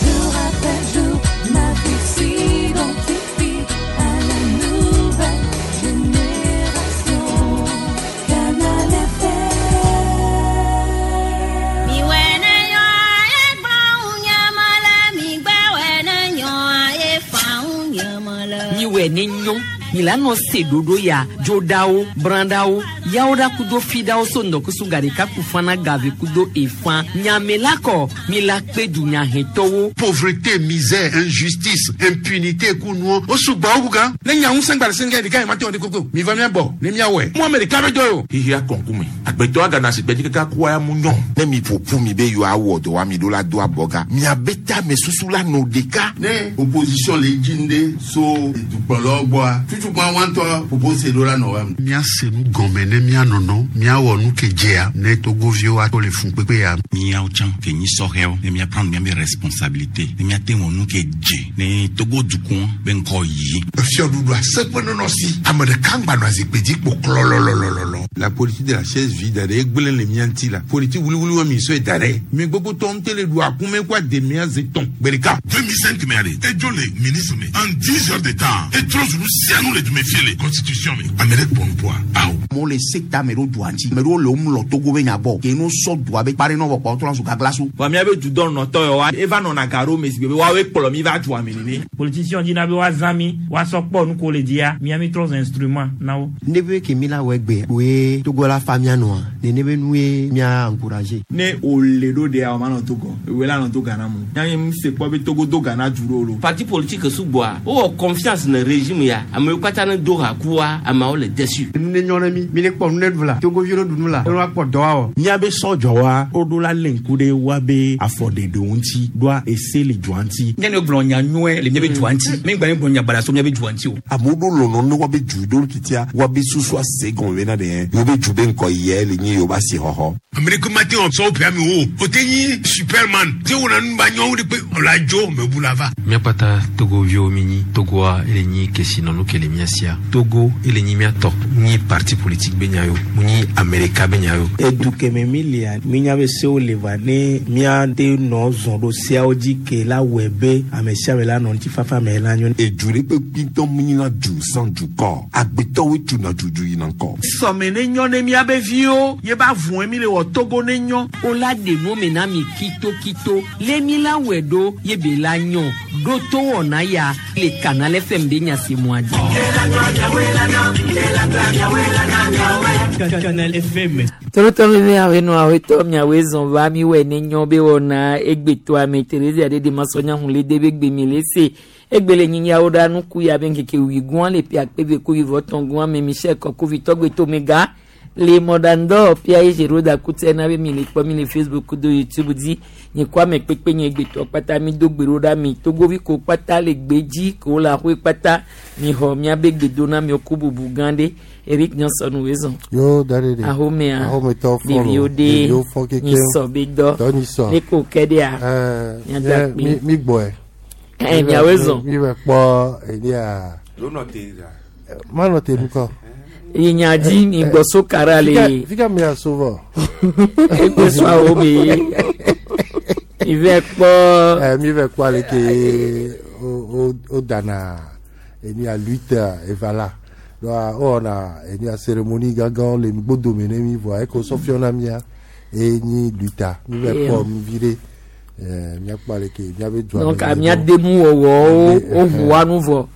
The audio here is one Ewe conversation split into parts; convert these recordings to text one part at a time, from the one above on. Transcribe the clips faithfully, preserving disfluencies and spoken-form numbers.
Jour après jour, ma vie s'identifie à la nouvelle génération. Canal F M. Milano se dodo ya jodawo brandawo yawoda kudo fidawo so ndɔkusu garika kufana gave kudo efan nyamelakɔ milakpe dunyahɛtɔwo. Pauvreté, misère, injustice, impunité kunuɔ o sugbɔ o kan. Ne nya ŋusẽ gba le sɛngɛ ɖeka yi ma te wɔ de koko mi va mia bɔ ne mia wɔe. Mu ame ɖeka bɛ dɔ ye o. Hihi akɔnkume agbetɔ agana si gbɛdzi kaka kua ya mu nyɔ. Ne mi ƒoƒu mi be yewoa wɔ dɔ wa mi ɖo la do abɔga miabe ta me susu la nɔ ɖeka. Ne opposition le dzi ŋde so dukplɔlawo gbɔa tutukpa wantɔ propose ɖo la nɔ wa. Míase nu gɔme ne míanɔnɔ míawɔ nu ke dzea ne togoviwo ato le fun kpekpe ya. Míawo tsã ke nyi sɔhɛwo ne míaprendre míabe responsabilité ne míate wɔ nu ke dze ne Togo dukɔ be ŋkɔ yi. Fiɔɖuɖu aseƒe nɔnɔ si ame ɖeka ŋgba nɔ azikpui dzi kpo klɔlɔlɔlɔlɔ. La politique de la chaise vide ɖe egblẽ le mía ŋuti la politique wuliwuli wa mi sɔe da ɖe mi gbogbo tɔ ŋute le ɖu akume kó ademia ze tɔn gbe ɖeka. deux mille cinq mɛ ale edzo le ministre me en dix heures de temps etrɔ zunu sianu le dume fie le constitution me ame ɖe kpɔ nupoa awo. Amewo le sekta me ɖo dua ŋuti ame ɖewo le wo mlɔ Togo be nya gbɔ ke no sɔ dua be kpa ɖe nɔ vɔ kpɔ trɔ zu gagla so. Wa míabe dudɔ nɔtɔ yɔ wa eva nɔna ga ɖo me si be woawoe kplɔ mi va dua me nene. Politicien dina be woazã mi woasɔ kpɔ nu ko le dzia mía mi trɔ zu instrument na wo. Ne be ke mi la wɔ egbe woe Togo la fa mía nɔa nene be nue mía encourager. Ne o le ɖo ɖea o ma nɔ Togo ewe la nɔ to Ghana mo. Nya mi se kpɔ be Togo do Ghana du ɖo lo. Parti politique sugbɔa wowɔ confiance ne régime ya amewo katã ne do ha kua ameawo le déçu. Nu ne nyɔ ne mi mi ne kpɔ nu ne ɖu la Togoviwo ne ɖu nu la ne woakpɔ dɔ awɔ. Míabe sɔdzɔwa woɖo la lé ŋku ɖe woabe afɔɖeɖewo ŋuti ɖoa ese le dua ŋuti. Nye ne gblɔ nya nyuie le míabe dua ŋuti mi gba ne gblɔ nya baɖa so míabe dua ŋuti o. Amewo ɖo lɔlɔ ne woabe du ɖo titia woabe susua se gɔme bena ɖe yewo be du be ŋkɔ yɛ le nye yewo be asixɔxɔ. Ame ɖeke mate wɔ sɔwo ƒea mi o o te nyi superman te wɔna nu ba nyɔwo ɖe kpe ɔla dzo mebu la va. Míakpata Togoviwo mi nyi Togoa ele nyi kesinɔnu ke le mía sia Togo ele nyi mía tɔ nyi parti politique be nya yo mu nyi Amerika be nya yo. Edu keme mi lia mi nya be sewo le va ne míate nɔ zɔn ɖo seawo dzi ke la wɔe be ame sia ame la nɔ ŋutifafa me la nyo. Edu ɖe kpe kpitɔ mu nyina du sans dukɔ agbetɔwoe tuna dudu yina ŋkɔ. Sɔme ne nyɔ ne míabe viwo ye ba vɔe mi le wɔ Togo ne nyɔ. O la ɖe nu me na mi kitokito le mi la wɔe ɖo ye be la nyɔ ɖo to wɔna ya le Canal F M be nyasemua dzi. Canal F M. Tolotɔ mi be awe nɔ awe tɔ miawoe zɔn va mi wɔ ne nyɔ be wɔna egbetɔ ame Teresa ɖe de masɔnya hun le de be gbe mi le se egbe le nyinyawo ɖa nuku ya be ŋkeke wi gɔn le pia kpe ko wi vɔ tɔn gɔn ame Michel Kɔkovi tɔgbe tomega le mɔdandɔ pia ye zero da kutɛ na be mi le kpɔ mi le Facebook do YouTube dzi nye kɔ ame kpekpe nye gbetɔ kpata mi do gbe ɖo ɖa mi Togovi ko kpata le gbe dzi ko le ahoe kpata mi xɔ miabe gbedona mi ku bubu gã ɖe Eric Johnson wo zɔn. Yo dari de. Ahomea. Ahometɔ fɔlɔ. Ɖeviwo de. Ɖeviwo fɔ keke. Nyisɔ be dɔ. Dɔ nyisɔ. Ne ko kɛ ɖea. Ɛɛ Miada mi mi gbɔɛ. Ɛ miawoe zɔn. Mi bɛ kpɔ elia. Lónà te la. Ma nɔ te nukɔ. Inyadzi mi gbɔ so kara le. Fika mi aso vɔ. Egbe so awo mi. Mi vɛ kpɔ. Ɛ mi vɛ kpɔ ale ke o o o dana enia lutte eva la. Donc o wɔna enia cérémonie gãgã le nugbodome ne mi vɔa eko sɔfiɔna mia eye nyi lutte mi vɛ kpɔ nu vi ɖe. Ɛɛ miakpɔ ale ke miabe dua. Donc mia denu wɔwɔwo o ʋua nu vɔ.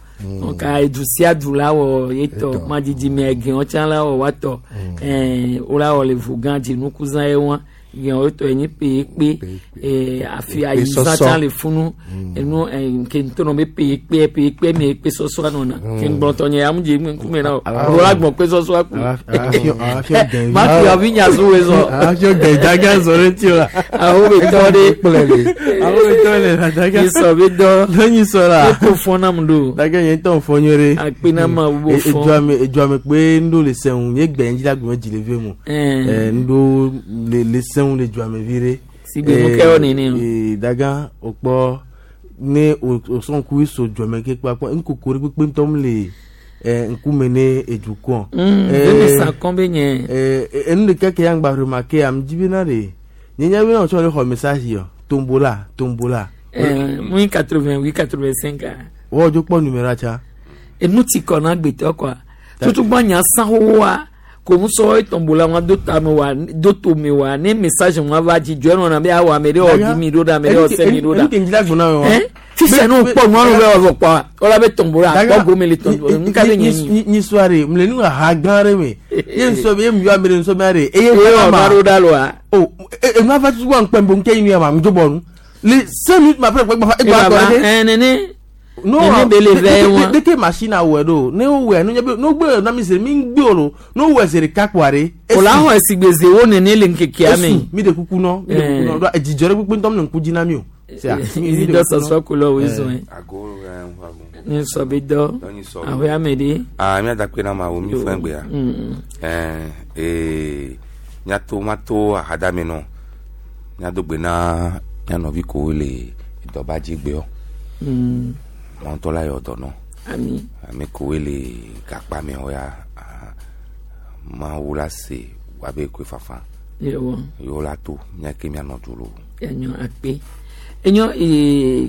Donc edu sia du la wɔ etɔ madidi me gɛn tsã la wɔ watɔ ɛɛ wo la wɔ le vo gã dzinukuzã ye wa gɛn wotɔ enyi peyekpe ɛɛ afi ayizã tsã le funu enu ɛɛ ke ŋutɔ nɔ be peyekpe peyekpe me kpe sɔsɔa nɔna ke ŋgblɔtɔ nye amu dze ŋkume na o wo la gbɔn kpe sɔsɔa ku ma fi avi nyazu wo zɔ Afio gɛn zɔ ɖe ti o la. awo be tɔ de Awo be tɔ le la daga. Nyisɔ be dɔ Ne nyisɔ la. Eko fɔ nam do. Daga nye ŋutɔ fɔ nyuie ɖe. Akpe na ma wo fɔ. Edua me edua me kpe ŋɖo le sɛŋu nye gbɛ ŋdzi la gbɛmɛ dzi le vie mo. Ɛɛ ŋɖo le le sɛŋu le dua me vi ɖe. Sigbe nu kɛwɔ nene o. Ee daga o kpɔ ne o o sɔn ku so dua me ke kpakpa ŋkoko ɖe kpekpe ŋutɔ mu le ɛɛ ŋkume ne edukɔ. Ɛɛ sa kɔn be nye. Ɛɛ enu ɖeka ke ya ŋgba remarqué am dzi bena ɖe nye nya bena wòtsɔ le xɔ message yɔ tombola tombola. Mu quatre-vingt-huit quatre-vingt-cinq. Wo jo kpɔ numéro tsa. Enu ti kɔ na gbetɔ quoi. Tutu gbɔ nya san wa ko mu sɔ etombola wa do ta me wa do to me wa ne message wa va dzi dzɔ nɔ na be awɔ ame ɖe wɔ di mi ɖo ɖa ame ɖe wɔ sɛ mi ɖo ɖa. Enu ke ŋdila gbɔna wa. Fifia ne wokpɔ nua no be wɔ kpɔ wala be tombola akpɔ gome le tombola nu ka be nye nyi. Nyi soirée mu le nu ha gã ɖe me ye nsɔ be ye mu yɔ ame ɖe nsɔ be aɖe eye Eye wɔ va ɖo ɖa loa. O enu ava tutu wa ŋkpɛ bo ŋkɛ yi nu ya ma ŋdzo bɔ nu le cinq minutes ma fɛ gbɛ egba Eba tɔ va ɖe. ɛn nene. No, Nene be le vɛ wa. deke machine awɔe ɖo ne wowɔe no nye be no gbe na mi se mi ŋgbe o lo no wɔe zi ɖeka kpoa ɖe. O la xɔ esigbeze wo nene le ŋkekea me. Esu, mi de kuku nɔ mi de kuku nɔ ɖo edzidzɔ ɖe kpekpe ŋutɔ mi le ŋku dzi na mi o. Sea, mi- mi de Dɔ kuku nɔ. sɔsɔ ko lɔ wo zɔn. Ago eh, ago. Ne sɔ be dɔ. Dɔ nyi sɔ. Ahoe ame ɖe. Ah, mía da kpe na ma wo mi fɛn gbe ya. Mm. Eh, eh, míato mato ahadame nɔ. Míado gbe na mía nɔvi kowo le dɔba dzi gbeɔ. Mm. Mɔntɔ la yɔ dɔ nɔ. Ami. Ame kowoe le gakpa me wɔ ya. ah, Mawu la se wabe koe fafa. Yewɔ. Yewo la to mía ke míanɔ du lo. Enyo akpe. Enyo ee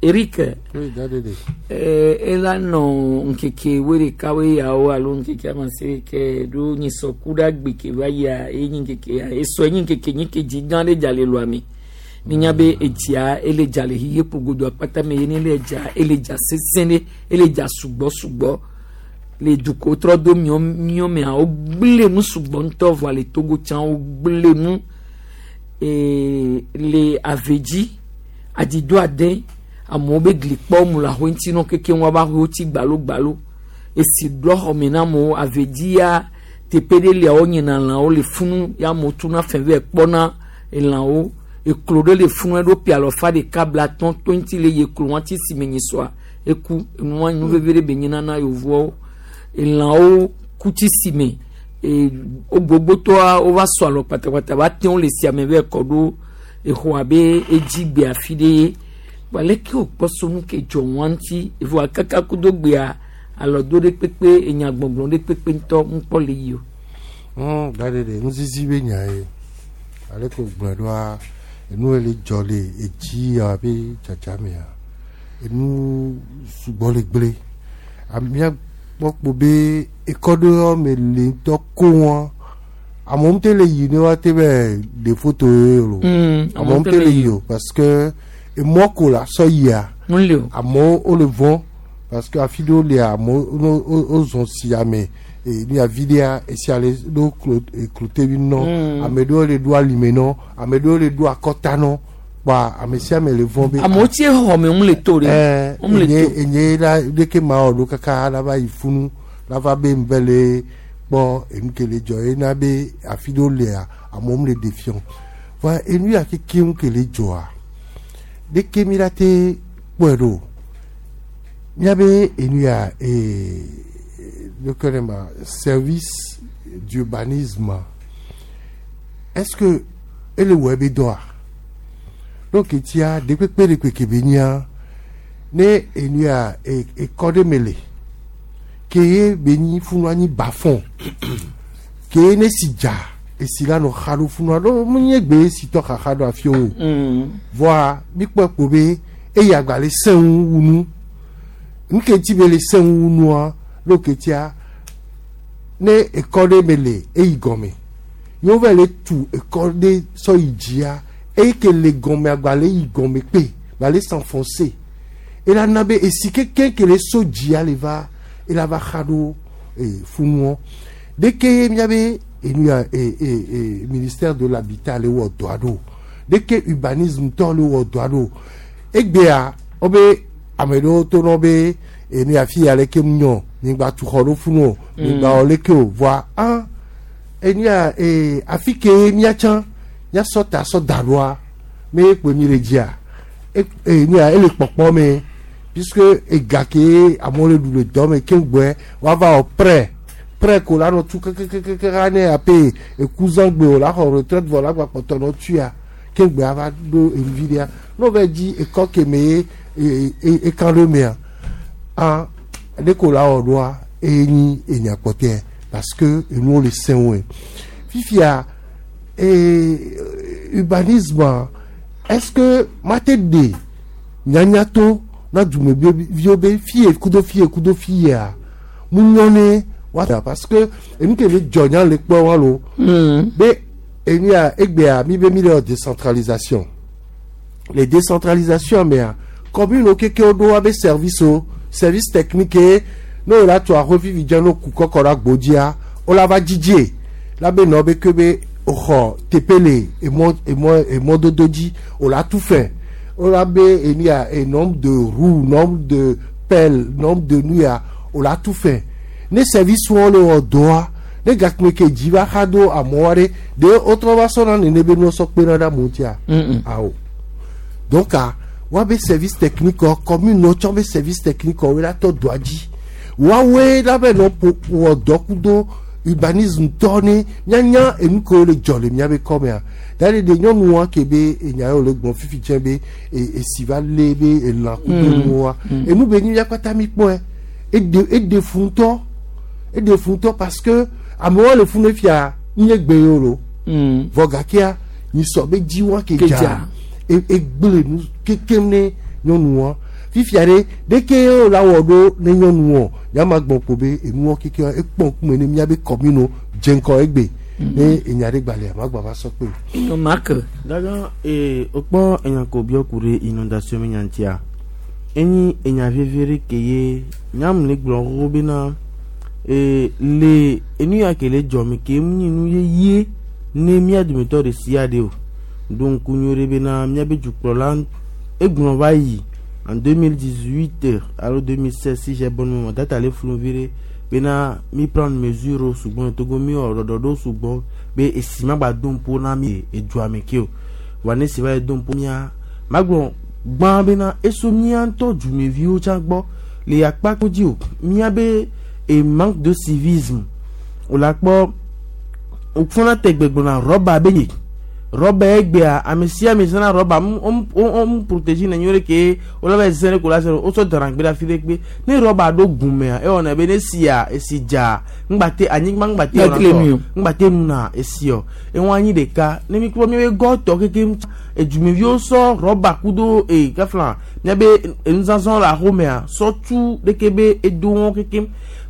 Eric. Oui, dadede. Ee ela nɔ ŋkeke wo ɖeka wo yawo alo ŋkeke amase ke ɖo nyisɔku ɖe agbe ke va yia enyi ŋkeke ya esɔ enyi ŋkeke nyi ke dzi gã ɖe dza le lɔa me. Minya be etsia ele dza le xixe kpogodo akpata me ye ne le dza ele dza sesẽ ɖe ele dza sugbɔ sugbɔ le dukɔ trɔ do miɔ miɔ mea wo gblẽ nu sugbɔ ŋutɔ vɔa le Togo tsã wo gblẽ nu ee le ave dzi adido ade amewo be gli kpɔ mu le ahoe ŋuti nɔ keke wɔn ba ahoe tsi gbalo gbalo esi ɖɔ xɔme na amewo ave dzi ya teƒe ɖe lia wonyina lãwo le funu ya amewo tuna fɛ vɛ kpɔna elãwo eklo ɖe le funu eɖo pialɔfa ɖeka bla tɔn twenty le ye klo wɔn ti si me nyi sɔa eku enua nu veve ɖe be nyina na yevuawo elãwo ku tsi si me ee wo gbogbotɔa wova sɔ alɔ kpatakpata va te wo le sia me vɛ kɔ ɖo exɔ abe edzi gbe afi ɖe ye wa leke wòkpɔ so nu ke dzɔ wɔn ŋuti evɔa kaka kudo gbea alɔ do ɖe kpekpe enya gbɔgblɔ ɖe kpekpe ŋutɔ ŋkpɔ le yi o. Mm, dadede nuzizi be nya ye ale ko gblɔe ɖoa enu ye le dzɔ le edzi ya be dzadza mea enu sugbɔ le gblẽ mía kpɔ kpo be ekɔ ɖe me le ŋutɔ ko wɔn amewo ŋutɔ le yi ne woate be ɖe foto ye o Mm, amewo ŋutɔ le yi o parce que emɔ ko la sɔ yia Ŋu le o. amewo wole vɔ̃ parce que afi ɖewo lia amewo wo wo- wozɔn si ame e ní avi ɖea esia le ɖo klo eklotevi nɔ Mm. ame ɖewo le ɖo alime nɔ ame ɖewo le ɖo akɔta nɔ kpa ame sia ame le vɔ̃ be. Amewo tse xɔme ŋu le to ɖe. Ɛɛ Ŋu le enye to. enye la ɖeke ma wɔ ɖo kaka la va yi funu la va be ŋbɛ le kpɔ enu ke le dzɔ ena be afi ɖewo lia amewo le ɖe fiɔ va enu ya keke ŋu ke le dzɔa ɖeke mi la te kpɔe ɖo míabe enu ya ee ɖeke ne ma service d'urbanisme est-ce que ele wɔ ebe dɔa donc etia ɖekpekpe ɖekpe ke be nyia ne enu ya e- ekɔ ɖe me le ke ye be nyi funu anyi bafɔn ke ye ne si dza esi la nɔ xa ɖo funua ɖo mu nye gbe esi tɔ xaxa ɖo afi o Mm. voa mi kpɔe kpo be eyi agba le sẽŋu wu nu nu ke ŋuti be le sẽŋu wu nua ɖo ke tia ne ekɔ ɖe me le eyi gɔme ye wova le tu ekɔ ɖe sɔ yi dzia eyi ke le gɔme agba le yi gɔme kpe gba le s'enfoncer ela na be esi keke ke le so dzia le va ela va xa ɖo ee funuɔ ɖeke miabe enu ya ee ee ee ministère de l'habitat le wɔ dɔa ɖo ɖeke urbanisme tɔ le wɔ dɔa ɖo egbea wobe ame ɖewo to nɔ be enu ya fi ya leke mu nyɔ migba tu xɔ ɖo funu o migba wɔ leke o voa an enu ya ee afi ke míatsã míasɔ ta sɔ da ɖoa me kpe mi le dzia e enu ya ele kpɔkpɔ me puisque ega ke amewo le ɖu le dɔ me keŋ gbɔe woava wɔ prêt prêt ko la nɔ tu kekekeke ne ape ekuzãgbe o la xɔ retraite vɔ la gba kpɔtɔ nɔ tuya keŋ gbɔe ava ɖo enuvi ɖea n'o va dzi ekɔ ke me ye e e ekan ɖo mea an ɖe ko la wɔ ɖoa eye nyi enya kpɔtɔe parce que enuwo le sẽwoe fifia ee urbanisme est-ce que mate ɖe Nyanya to na dumeviwo be fie kudo fie kudo fia mu nyɔ ne wa parce que enu ke le dzɔ nya le kpɔ wa lo be enu ya egbea mi be mi le wɔ décentralisation les décentralisations mea commune keke wo ɖo wa be service o service technique ye ne wo la tu aƒe vivi dze no ku kɔkɔ ɖe agbodzia wo la va dzidzi la be nɔ be ke be xɔ teƒe le emɔ emɔ emɔdodo dzi wo la tu fɛ wo la be enu ya e nombre de roues, nombre de pelle, nombre de nu ya wo la tu fɛ ne service wɔn le wɔ dɔa ne gakme ke dzi va xa do amewo ɖe de wotrɔ va sɔna nene be nuwo sɔ kpena ɖe amewo ŋutia awo donc a woabe service technique wɔ commune wo tsɔ be service technique wo la tɔ dɔa dzi woawoe la be nɔ ƒo wɔ dɔ kudo urbanisme tɔ ne mianya enu kewo le dzɔ le miabe kɔmea da ɖe de nyɔnua ke be enya yiwo le gblɔ fifi tsɛ be e- esi va lé be elã kudo Mm. nuwoa Mm. enu be nyi mia kpata mi kpɔe eɖe eɖe fu ŋutɔ eɖe fu ŋutɔ parce que amewo le funu fia nye gbe yewo lo vɔ gakea nyisɔ be dzi wa ke Ke dza dza. e- egble nu kekem ne nyɔnua fifia ɖe ɖeke wo la wɔ ɖo ne nyɔnuɔ nyama gbɔ ko be enuɔ keke ekpɔ ŋkume ne miabe commune dze ŋkɔ egbe ne enya ɖe gbalẽa magba va sɔ kpe o. Marc. Daga ee okpɔ enya ko biɔ ku ɖe inondation me nyantia enyi enya veve ɖe ke ye nyamu le gblɔ xoxo bena ee le enu ya ke le dzɔ me ke mu nyi nu yeye ne mía dometɔ ɖe sia ɖe o ɖo ŋku nyuie ɖe bena míabe dukplɔla egblɔ va yi en deux mille dix-huit alo deux mille seize, si j'ai bonne mémoire, date ale flu vi ɖe bena mi prendre mesure sugbɔn le Togo mi wɔ ɖɔɖɔɖo sugbɔn be esi ma gba do ŋpo na mi edua me ke o wa ne si va yi do ŋpo mía magblɔ gbã bena eso mía ŋutɔ dumeviwo tsã gbɔ le akpa ko dzi o mía be e manque de civisme o la kpɔ wofɔna tɛgbɛ gblɔna rɔba be nye rɔba egbea ame sia ame zãna rɔba mu wo mu protéger ne nyuie ɖe ke wole va zẽ ɖe ko la se wosɔ dana gbe ɖe afi ɖe kpe ne rɔba ɖo gumea ewɔna be ne sia esi dza ŋgbate anyigba ŋgbate wɔna Ŋgbate nu tɔ o. ŋgbate nuna esiɔ eŋu anyi ɖeka ne mi kpɔ miabe gɔtɔ kekem edumeviwo sɔ rɔba kudo ee kafla miabe enuzazã le axomea sɔ tu ɖeke be edo wɔn kekem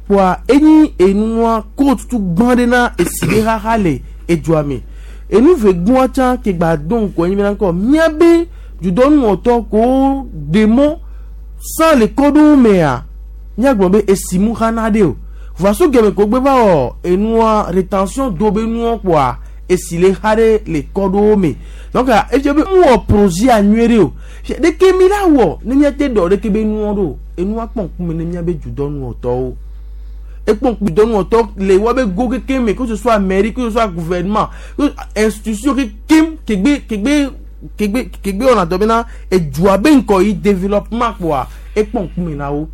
kpoa enyi enua ko tutu gbã ɖe na esi ɖe xaxa le edua me enu ve gbɔa tsã ke gba do ŋkɔ enyi bena ŋkɔ miabe dudɔnuwɔtɔ ko ɖe mɔ sans le kɔɖowo mea míagblɔ be esi mu xana ɖe o voa so gɛmɛ ko gbe va wɔ enua rétention do be nuɔ kpoa esi le xa ɖe le kɔɖowo me donc efia be mu wɔ projet a nyuie ɖe o ɖeke mi la wɔ ne míate ɖɔ ɖeke be nuɔ ɖo enua kpɔ ŋkume ne míabe dudɔnuwɔtɔwo ekpɔ ŋkume dudɔnuwɔtɔ le woabe go keke me, que ce soit mairie, que ce soit gouvernement, que institution kekem kegbe kegbe kegbe kegbe wɔna dɔ bena edua be ŋkɔ yi développement kpoa ekpɔ ŋkume na wo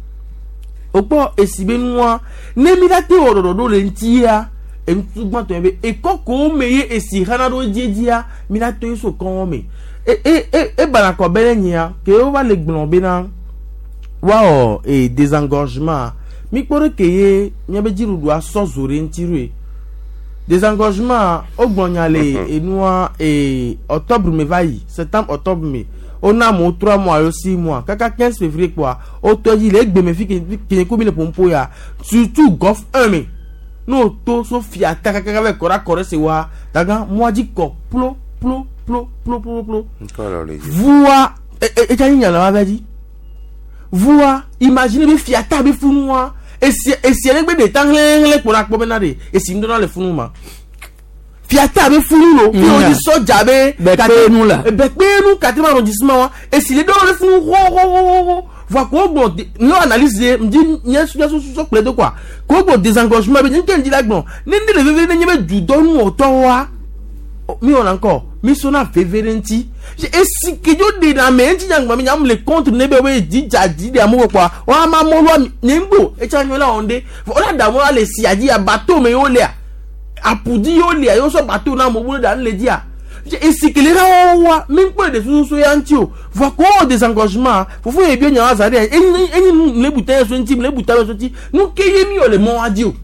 wokpɔ esi be nua ne mi la te wɔ ɖɔɖɔɖo le ŋutia enutu gbãtɔ yɛ be ekɔ kowo me ye esi xana ɖo dziedzia mi la to ye so kɔn me e e e ebana kɔ be ɖe nyia ke wova le gblɔ bena woawɔ e désengorgement mi kpɔ ɖe ke ye miabe dziɖuɖua sɔ zo ɖe ŋuti ɖoe désengorgement wogblɔ nya le enua e octobre me va yi, septembre, octobre me wona amewo trois mois alo six mois kaka quinze février kpoa wotɔ dzi le egbe me fi ke ke ko mi le ƒoƒo ya surtout Golfe un me n'o to so fiata kaka va kɔ ɖe akɔ ɖe se wa daga mɔa dzi kɔ plo plo plo plo plo plo Ŋkɔ le dzi. Vua etsa nyi nyala wa vɛ dzi vua imagine be fiata be funua esi esi ɖe gbe ɖe ta hlẽhlẽ kpɔ na kpɔ bena ɖe esi ŋdɔ na le funu ma fiata be funu lo fi wo dzi sɔdza be Bɛkpenu la. bɛkpenu quatrième arrondissement wa esi le dɔw le funu xɔxɔxɔxɔ voa ko gbɔ ne analyse ye ŋdi nye nye sɔ kple do quoi ko gbɔ désengorgement be nye nke ŋdi la gbɔ ne ne le veve ne nye be dudɔnuwɔtɔ wa mi wɔna ŋkɔ mi sɔna veve ɖe ŋuti esi kedzo ɖe na ame ŋuti nyagbɔ mi nyam le contre ne be wo dzi dza dzi ɖe amewo kpɔa wɔn ama mɔlua nye ŋgbo etsa nyɔ la wɔn ɖe wɔn da mɔlua le sia dzi bateau me yewo lea apudi yewo lea yewo sɔ bateau na amewo ɖe le dzia esi kele ha wɔwɔ wa mi ŋkpɔ ɖe susu ya ŋuti o voa ko wɔ désengorgement fofo ye bi nya wa za ɖe enyi enyi nu le buta yɛ so ŋuti le buta yɛ so ŋuti nu ke ye mi wɔ le mɔ wa dzi o.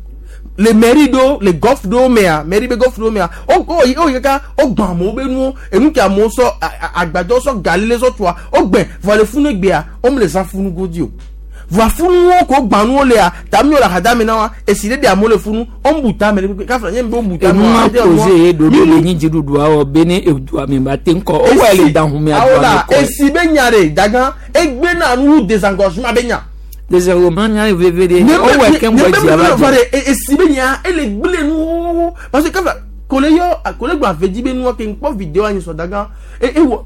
Le mairie do le golf do mea mairie be golf do mea o o yi o yi kaka o gbã amewo be nuwo enu ke amewo sɔ agbadɔ sɔ gali le sɔ tua o gbɛ vɔ le funu gbea o me le zã funu godi o vɔ funuwo ko gbã nuwo lea tami wo le axadame na wa esi ɖe de amewo le funu o ń bu tame ɖe kafla nye be o bu tame enu ma projet ye ɖoɖo le nyi dziɖuɖua wɔ be ne edua me ba te ŋkɔ o wɔ le dan hume adua me kɔ esi be nya ɖe dagã egbe na nu désengorgement be nya. Désengorgement nya veve de o wɔ ke ŋgɔ dzi ava dzi. Esi be nya ele gble nu parce que kafla kole yɔ kole gba avedzi be nua ke ŋkpɔ vidéo anyi sɔ dagã e ewɔ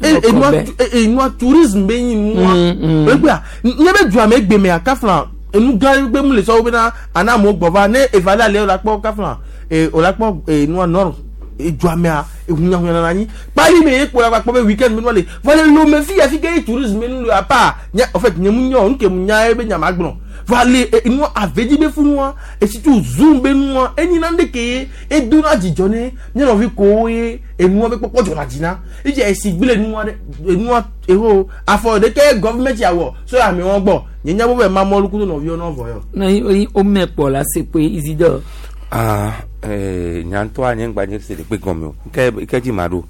enua enua tourisme be nyi nua egbea nye be dua me gbe mea kafla enu gã gbe mu le sɔwo bena ana amewo gbɔ va ne eva le ale o la kpɔ kafla e o la kpɔ enua nord edua mea ehunyahunya nana anyi kpali me ye kpo la kpɔ be weekend me nua le vɔ le lome fi ya fi ke ye tourisme nu le apa nye en fait nye mu nyɔ nu ke mu nya ye be nyama gblɔ vɔ le enua avedzi be funua esi tu zoom be nua enyi na ɖe ke ye edona dzidzɔ ne nye nɔvi kowo ye enua be kpɔkpɔ dzɔna dzi na edze esi gble nua ɖe enua eho afɔ ɖeke gɔvumɛnti awɔ so amewo gbɔ nye nya bo be mamɔlu kudo nɔviwo nɔ vɔ yɔ. Na yi o mɛ kpɔ la se pe Isidore. Ah, eh, nyantɔ nye ŋgba nye se ɖe kpe gɔme o nke nke dzi ma ɖo.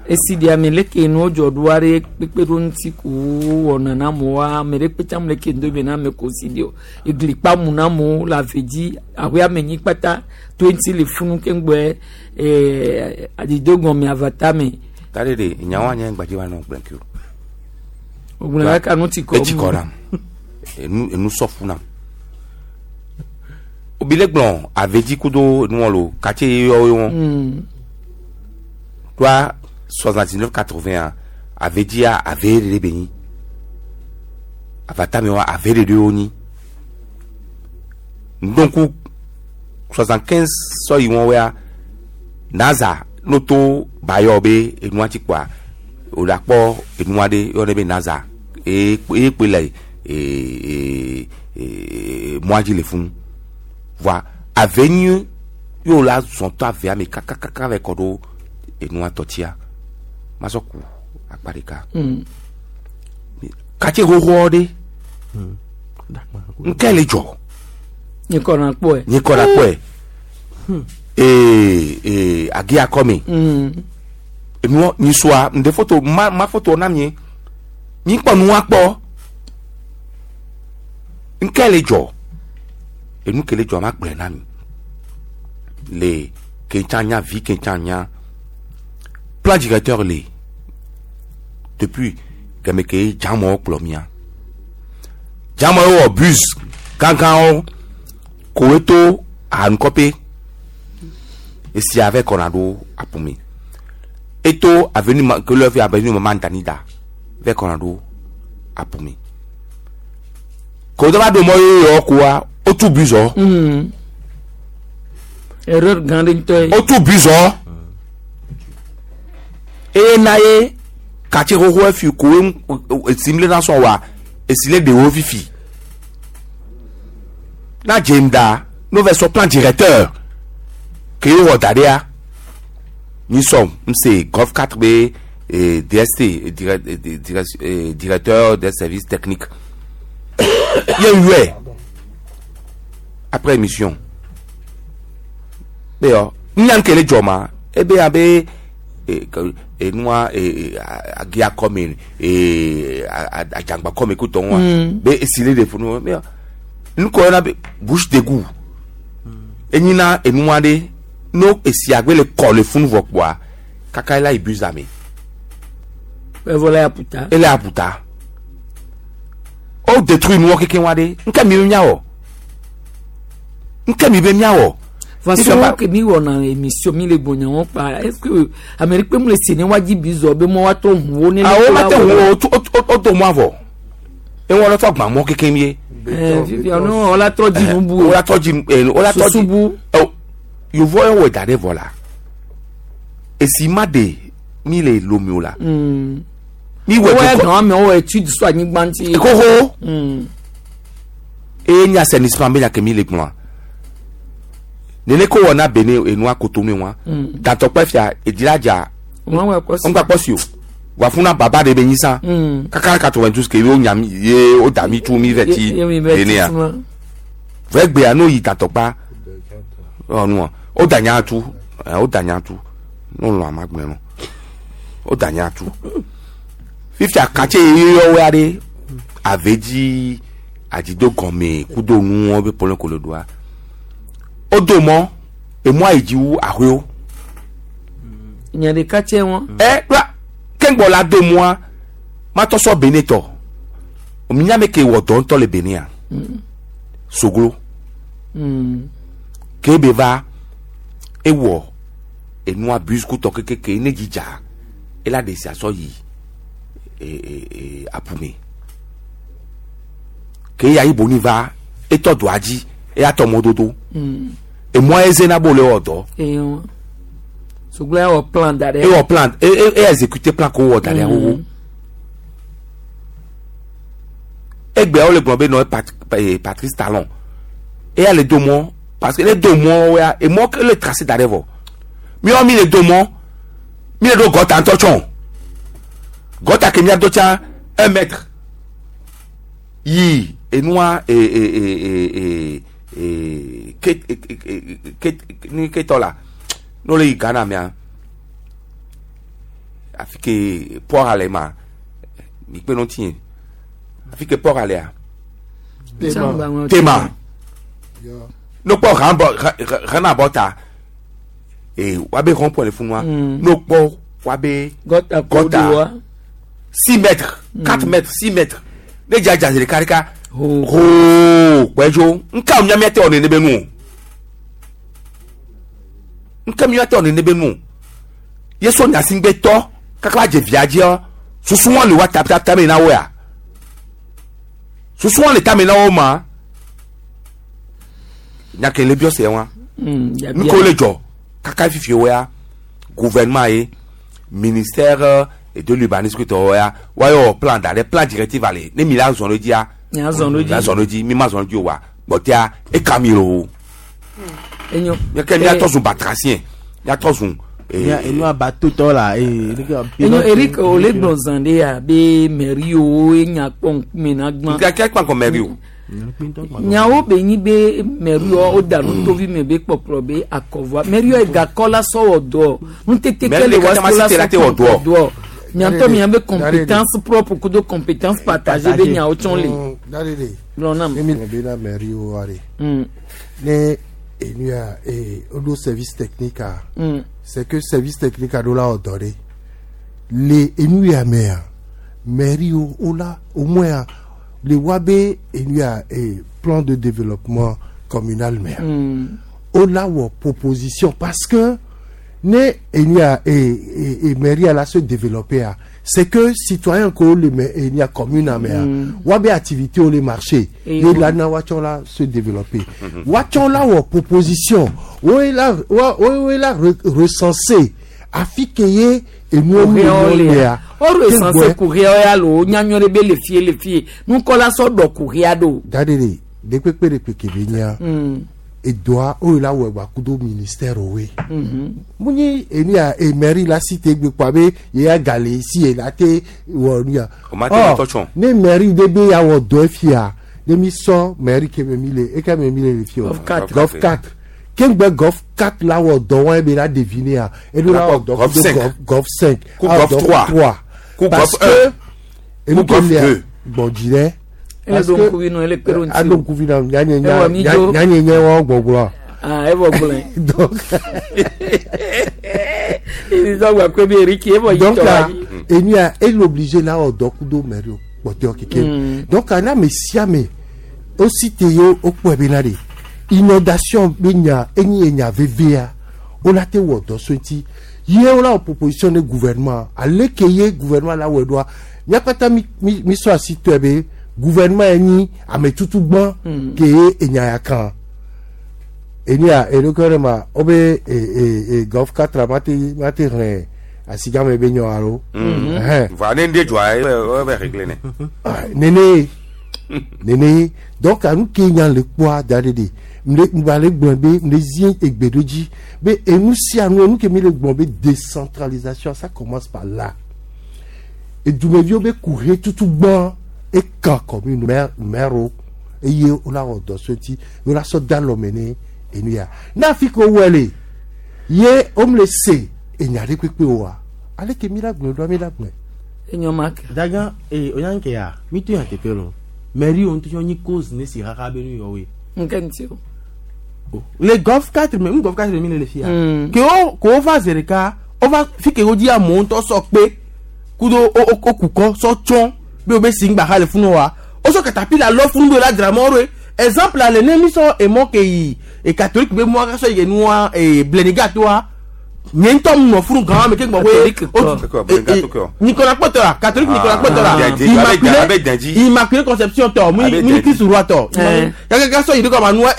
Esi ɖe ame leke nuwo dzɔ ɖo aɖe kpekpe ɖo ŋuti ko wɔna na amewoa ame ɖe kpe tsam leke ŋdo be na ame ko si ɖe o egli kpa mu na amewo le ave dzi aƒe ame nyi kpata to ŋuti le funu keŋgbɔe ee adido gɔme avata me. Ta ɖe ɖe nyawoa nye ŋgba dzi wa nɔ gblẽ ke o. O gblẽ kaka nu ti kɔ. Etsi kɔ nam enu enu sɔfu nam. Obi le gblɔ avedzi kudo nuwɔ lo katse yɔ wo. Toa soixante-dix-neuf quatre-vingts avedzi ave ɖe be nyi avata me wa ave ɖe wo nyi donc soixante-quinze sɔ yi wɔn wea naza noto bayɔ be enua ti kpɔa o la kpɔ enua ɖe yɔ ne be naza eye eye kpe le ee ee mɔa dzi le funu voa ave nyi yóò la zɔn to avea me kakakaka vɛ kɔ ɖo enua tɔtia masɔ ku akpa ɖeka katse xoxoa ɖe ŋkɛ le dzɔ nyikɔ na kpɔe nyikɔ na kpɔe ee ee agi akɔme enuɔ nyisua ŋde foto ma ma foto na mie nyikpɔ nua kpɔ ŋkɛ le dzɔ enu ke le dzɔ ma gblɔe na mi le kentsa nya vi kentsa nya plan directeur le depuis game ke dzamɔ kplɔ mia dzamɔ wɔ bus gãgãwo koe to ahanukɔpe esi ave kɔna ɖo aƒome eto avenue ma ke lɔ fi avenue mama Danida vɛ kɔna ɖo aƒome ko dɔ va do mɔ yeyɔ koa wotu bus wɔ. Erreur gã ɖe ŋutɔ ye. Wotu bus wɔ eye na ye katse xoxo efi koe esi mi le na sɔn wa esi le ɖewo fifi na dze da n'o vɛ sɔ plan directeur ke ye wɔ da ɖea mi sɔn n se golf quatre be eh, D S T direct, directeur des services techniques ye yɔɛ après émission be yɔ nya ke le dzɔ ma ebe abe enua agia kɔme adzangba kɔme ko tɔn wa be esi le de funu be nukɔ yɔna be bouche d'égout enyina enua ɖe no esi agbe le kɔ le funu vɔ kpoa kaka ela yi bus ame. Evɔ la aputa. Ele aputa. O détruit nuwɔ keke wa ɖe nke mi be miawɔ nke mi be miawɔ. Façon que mi wɔna émission mi le gbɔnya wɔn kpa est-ce que Amérique mu le sene wa dzi bizɔ be mɔ wa tɔ ŋu wo ne. Awo ma te ŋu wo o to mɔ avɔ ewɔ lɔ tɔ gbã mɔ keke mi ye. Ɛɛ fifia no wala trɔ dzi nu bu. Wala trɔ dzi wala trɔ dzi susu bu. Ɔ yovo yɛ wɔ da ɖe vɔ la esi ma de mi le lomi o la. Mi wɔ dukɔ. Wɔyɛ gan amewo étude so anyigba ŋuti. Xoxo. Eye nye assainissement be nya ke mi le gblɔa. Nene ko wɔna bene enua kotonu wa dantɔkpɛ fia edziladza ŋgba kpɔsi o wà fún na baba de be nyi sa kaka quatre-vingt-douze ke ye o nya mi ye o da mi tu mi vɛ ti bene ya vɛ gbea n'o yi dantɔkpa Ewɔ nua o da nya tu ɛ o da nya tu n'o lɔ ama gblẽ no o da nya tu fifia katse yeyɔ wɛ aɖe ave dzi adzido gɔme kudo nuwɔ be pɔlɔ kolo doa o do mɔ emɔ ayi dzi wu ahoewo. Nya ɖeka tse wɔn. Ɛ kura kɛngbɔ la do mɔa matɔ sɔ Benin tɔ minyame ke wɔ dɔ ŋutɔ le Benin ya soglo Mm. ke be va ewɔ enua bus kutɔ kekeke ne dzidza ela de sia sɔ yi e e e apume ke ya yi boni va etɔ doa dzi eya tɔ mɔdodo Mm. emɔa eze na bo le wɔ dɔ Eyo. Soglo ya wɔ plan da ɖe. ewɔ plan e e e exécuté plan ko wɔ da ɖe xoxo egbea wole gblɔ be nɔ Pat eh, Patrice Talon eya le do mɔ parce que le do mɔ ya emɔ ke le tracé da ɖe vɔ miɔ mi le do mɔ mi le do gɔta ŋutɔ tsɔ gɔta ke mia do tsa un mètre yi enua e e e e e e ke e e ke ni ketɔ la n'o le yi Ghana mea afi ke port ale ma mi kpe nɔ tie afi ke port alea Tema. tema n'o kpɔ rambɔ ranabɔ ta ee wabe rond point le funua Mm. n'o kpɔ wabe Gɔta ko gɔta do wa. six mètres quatre mètres six mètres ne dza dza ɖeka ɖeka hoo gbɛdzo nka miamia tɛ wɔ nene be nu o nka miamia tɛ wɔ nene be nu o yesu nyasigbe tɔ kaka va dze via dzia susu wɔn le wa ta ta tame na wo ya susu wɔn le tame na wo ma nyake le biɔ se wa Mm. Yabia. nuko le dzɔ kaka fifi wo ya gouvernement ye ministère euh, de l'urbanisme tɔwo ya wayɔ plan da ɖe plan directive ale ne mi la zɔn ɖe dzia Mia zɔn ɖe dzi. la zɔn ɖe dzi mi ma zɔn ɖe dzi o wa gbɔtea eka mi lo Enyo. miake miatɔ zun batrasien miatɔ zun Mia enua bateau tɔ la ee. Enyo Eric o le gblɔ zan ɖe ya be mɛriwo enya kpɔ ŋkume na gbã. Nkeke kpa kɔ mɛri o. Nyawo be nyi be mɛriwo o da nu tovi me be kpɔkplɔ be akɔvɔa mɛriwo egakɔ la sɔwɔ dɔ nutete Mɛri ke le ɖeka wa tsa ma so la si te la te wɔ sɔ dɔ. dɔ miatɔ mia be compétence propre kudo compétence partagée be nyawo tsɔn le. Dadede. Gblɔ nam. Ne mi be na mairie wo wa de. Mm. Ne enu ya ee o do service technique a. Mm. C'est que service technique a do la wɔ dɔ de. Le enu ya mea mairie wo o la au moins a, le wa be enu ya ee plan de développement communal mea. Mm. O la wɔ proposition parce que ne enu ya ee ee mairie a la se développer a c'est que citoyen ko le mɛ enu ya commune a mea Mm. wa be activité o le marché Et ye wo- la na wa tsɔ la se développer wa tsɔ la wɔ proposition wo ye la wa wo ye la re recenser afi ke ye enuwo mi Kuxewo le le ya ya. O recenser kuxewo ya lo nyanyɔ ɖe be le fie le fie nukɔla sɔ dɔ kuxea ɖo. dadede dekpekpe ɖekpe ke be nya Mm. edoa o ye la wɔ gba kudo ministère woe. Mhm. munyi enu ya e mairie la si te gbe kpɔ abe ye ya gale si ye la te wɔ nu ya. O ma te wɔ tɔ tsɔ. ne mairie de be ya wɔ dɔ fia ne mi sɔ mairie ke me mi le eke me mi le le fi o. Golf quatre. Golf quatre kengbe golf quatre la wɔ dɔ wɔn ebe la deviner ya eɖo la wɔ dɔ Golf kudo cinq. golf golf cinq. Ku A wɔ golf dɔ trois. trois. Ku Parce golf un. que enu Ku golf ke lia deux. gbɔdzi dɛ. Ele ɖo ŋkuvi nɔ ele kpe ɖo ŋuti Aɖo ŋkuvi na nyanye Ewɔ mi dzo. nyanye nye wɔn gbɔgblɔ. Ah, evɔ gblɔe. Donc Izɔgba kpe be Eric evɔ yi donc tɔ là wa yi. enu ya ele obligé la wɔ dɔ kudo mairie kpɔtɔe keke Mm. donc ana ame sia ame wosi te ye wokpɔe bena de inondation be nya enyi enya vevea wola te wɔ dɔ so ŋuti ye wola wɔ proposition ne gouvernement ale ke ye gouvernement la wɔe ɖoa mía katã mi mi mi sɔ asi tɔe be gouvernement ye nyi ame tutu gbɔ Mm. ke ye enya ya kan enu ya eɖokui ɖe ma wobe e e e golf quatre ma te ma te xlẽ asigame be nyɔ alo. Ɛhɛn. Voilà, ne ndé dzɔa ebe ebe réglé ne. Ah, nene nene donc anu ke nya le kpɔa da ɖe de mle ŋgba le gblɔ be mle zi egbe ɖo dzi be enu sia nu enu ke mi le gblɔ be décentralisation ça commence par là edumeviwo be kuhe tutu gbɔ eka commune maire maire wo eye wola wɔ dɔ so ŋuti wola sɔ da lɔme ne enu ya ne afi ke wowɔe le ye womle se enya ɖe kpekpe oa aleke mi la gblɔe ɖoa mi la gblɔe. Enyo ma ke. Daga ee o yan ke ya mi to yan teƒe lo mairie wo ŋutɔ nyi cause ne si xaxa be nu yɔ woe. Nke ŋuti o. Le golf quatre me n golf quatre mi le le fia. Mm. Ke wo ke wo va zi ɖeka wo va fi ke wo dzi amewo ŋutɔ sɔ kpe kudo wo wo wo kukɔ sɔ tsɔ be wo be si ŋgba xa le funu wa wo sɔ katapila lɔ funu be wo la dzra mɔ ɖoe exemple le ne mi sɔ emɔ ke yi e catholique be mɔa sɔ yi nua e bleniga toa nye ŋutɔ mu nɔ funu gã me ke gbɔ Kɔ. be Nicolas Kpɔtɔ la catholique Nicolas Kpɔtɔ la Ah, Abe Immaculée Dendji. Immaculée Conception tɔ mu Abe mu Dendji. Christ roi tɔ Eh. gàgàgà sɔ yi ɖe kɔma nua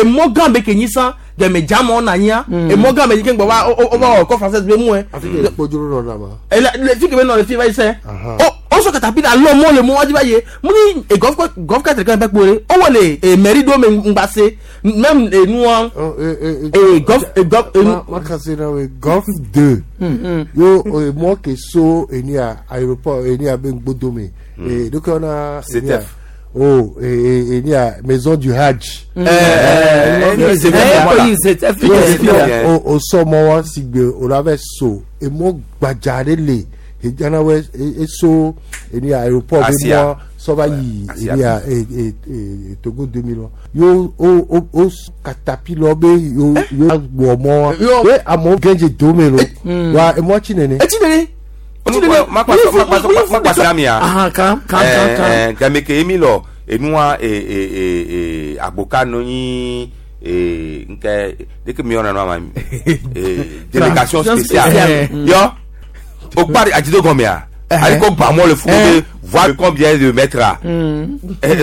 emɔ gã be ke nyi san dɛmɛ dzamɔ na nyia emɔ gã be yi ke gbɔ va o va wɔ kɔ française be mu yɛ afi ke kpodzro nɔ na ma. ele le fi ke be nɔ le fi va yi sɛ o o sɔ katapila lɔ mɔ le mɔ wa dzi va ye mu ni e golf golf quatre kan bɛ kpo de o wɔ le e mairie do me ŋgba se même e nua e golf e golf e Ma ma kasi na we golf deux. Yo e mɔ ke so eni a aéroport eni a be ŋgbodome. E donc on a eni a- C T F. Oh, e e eni a maison du Hajj. Eh, eh, Eh, eh, C T F, Yo, o o sɔ mɔ wa sigbe o la bɛ so emɔ gbadza ɖe le edzana wɛ e eso eni a aéroport be Asia. mɔ sɔba yi Asia. eni a e e e Togo deux mille wa yo o o o katapila be yo yo wɔ mɔ wa Yo. ye amewo gɛdze dome lo wa emɔ tsi nene. etsi nene Makpasira mi ya. Ahan, kan kan kan kan. Game ke emi lɔ enua e e e e agboka no nyi e nke deke mi yɔna no ama mi e délégation spéciale Spéciale. yɔ o kpari adzido gɔmea ali ko gbamɔ le funu be voir combien de mètres la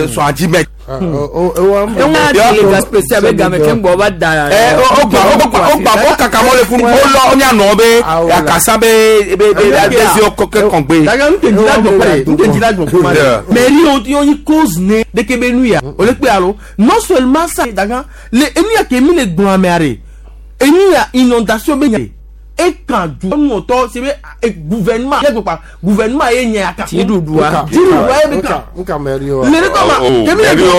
soixante-dix mètres. Eŋu a délégation spéciale be game ke ŋgbɔ va da. Ɛ o gba o gba o gba o kaka mɔ le funu o lɔ o nya nɔ be akasa be be be adesi kɔkɛ kɔngbe. daga n tɛ jila jɔ kpɛ n tɛ jila jɔ kuma Yeah. dɛ mairie wo yɔ nyi cause ne de ke be nu ya o le kpe alo non seulement ça daga le enu ya ke mi le gbɔn amea re enu ya inondation be nya e kan du nɔtɔ se be e gouvernement yɛ gbɔkpa gouvernement ye nya kan Dziɖuɖua. dziɖuɖua ye be kan nka mairie wa. le ne kɔma kemi le Mairie o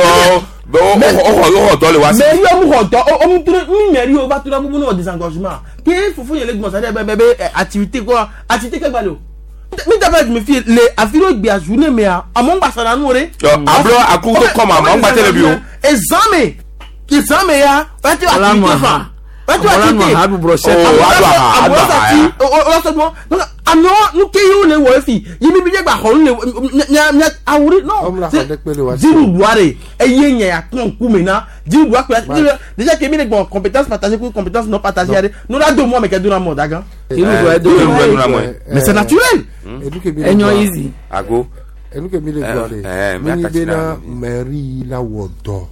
o o xɔ dɔ le wa si. mairie wo mu xɔ dɔ o mu tro mi mairie wo va tora bubu ne wɔ désengorgement ke fofo yɛlɛ gbɔn sa de bɛ bɛ bɛ activité kɔ activité kɛ gba le o mi da bɛ mi fi le afi ɖo gbea journée mea amewo gba sara nu re. Yɔ ablɔ akutu kɔma amewo gba tele bi o. Ezame ezame ya wati Wala nu activité aha. fa wati Wala nu activité aha, aɖu brochette. Oh, aɖu aha, aɖu aha ya. o donc amewo nu ke yiwo le wɔ efi yi mi bi dze gba xɔ nu le mia mia awuri Ɔmu non la xɔ ɖe kpe le wa si. dziɖuɖua de eye nye ya kpɔn ŋkume na dziɖuɖua kple déjà ke mi le gbɔn compétence partagée ku compétence non partagée ya de n'o la do mɔ me kɛ do na mɔ dagan. Dziɖuɖua ye do Dziɖuɖua ye do na mɔ. Mais c'est naturel. Enu ke mi le Enyo gblɔa- easy. Ago. enu ke mi le gblɔ Eh, eh, de mi nyi miakatsi bena na- mairie la wɔ dɔ.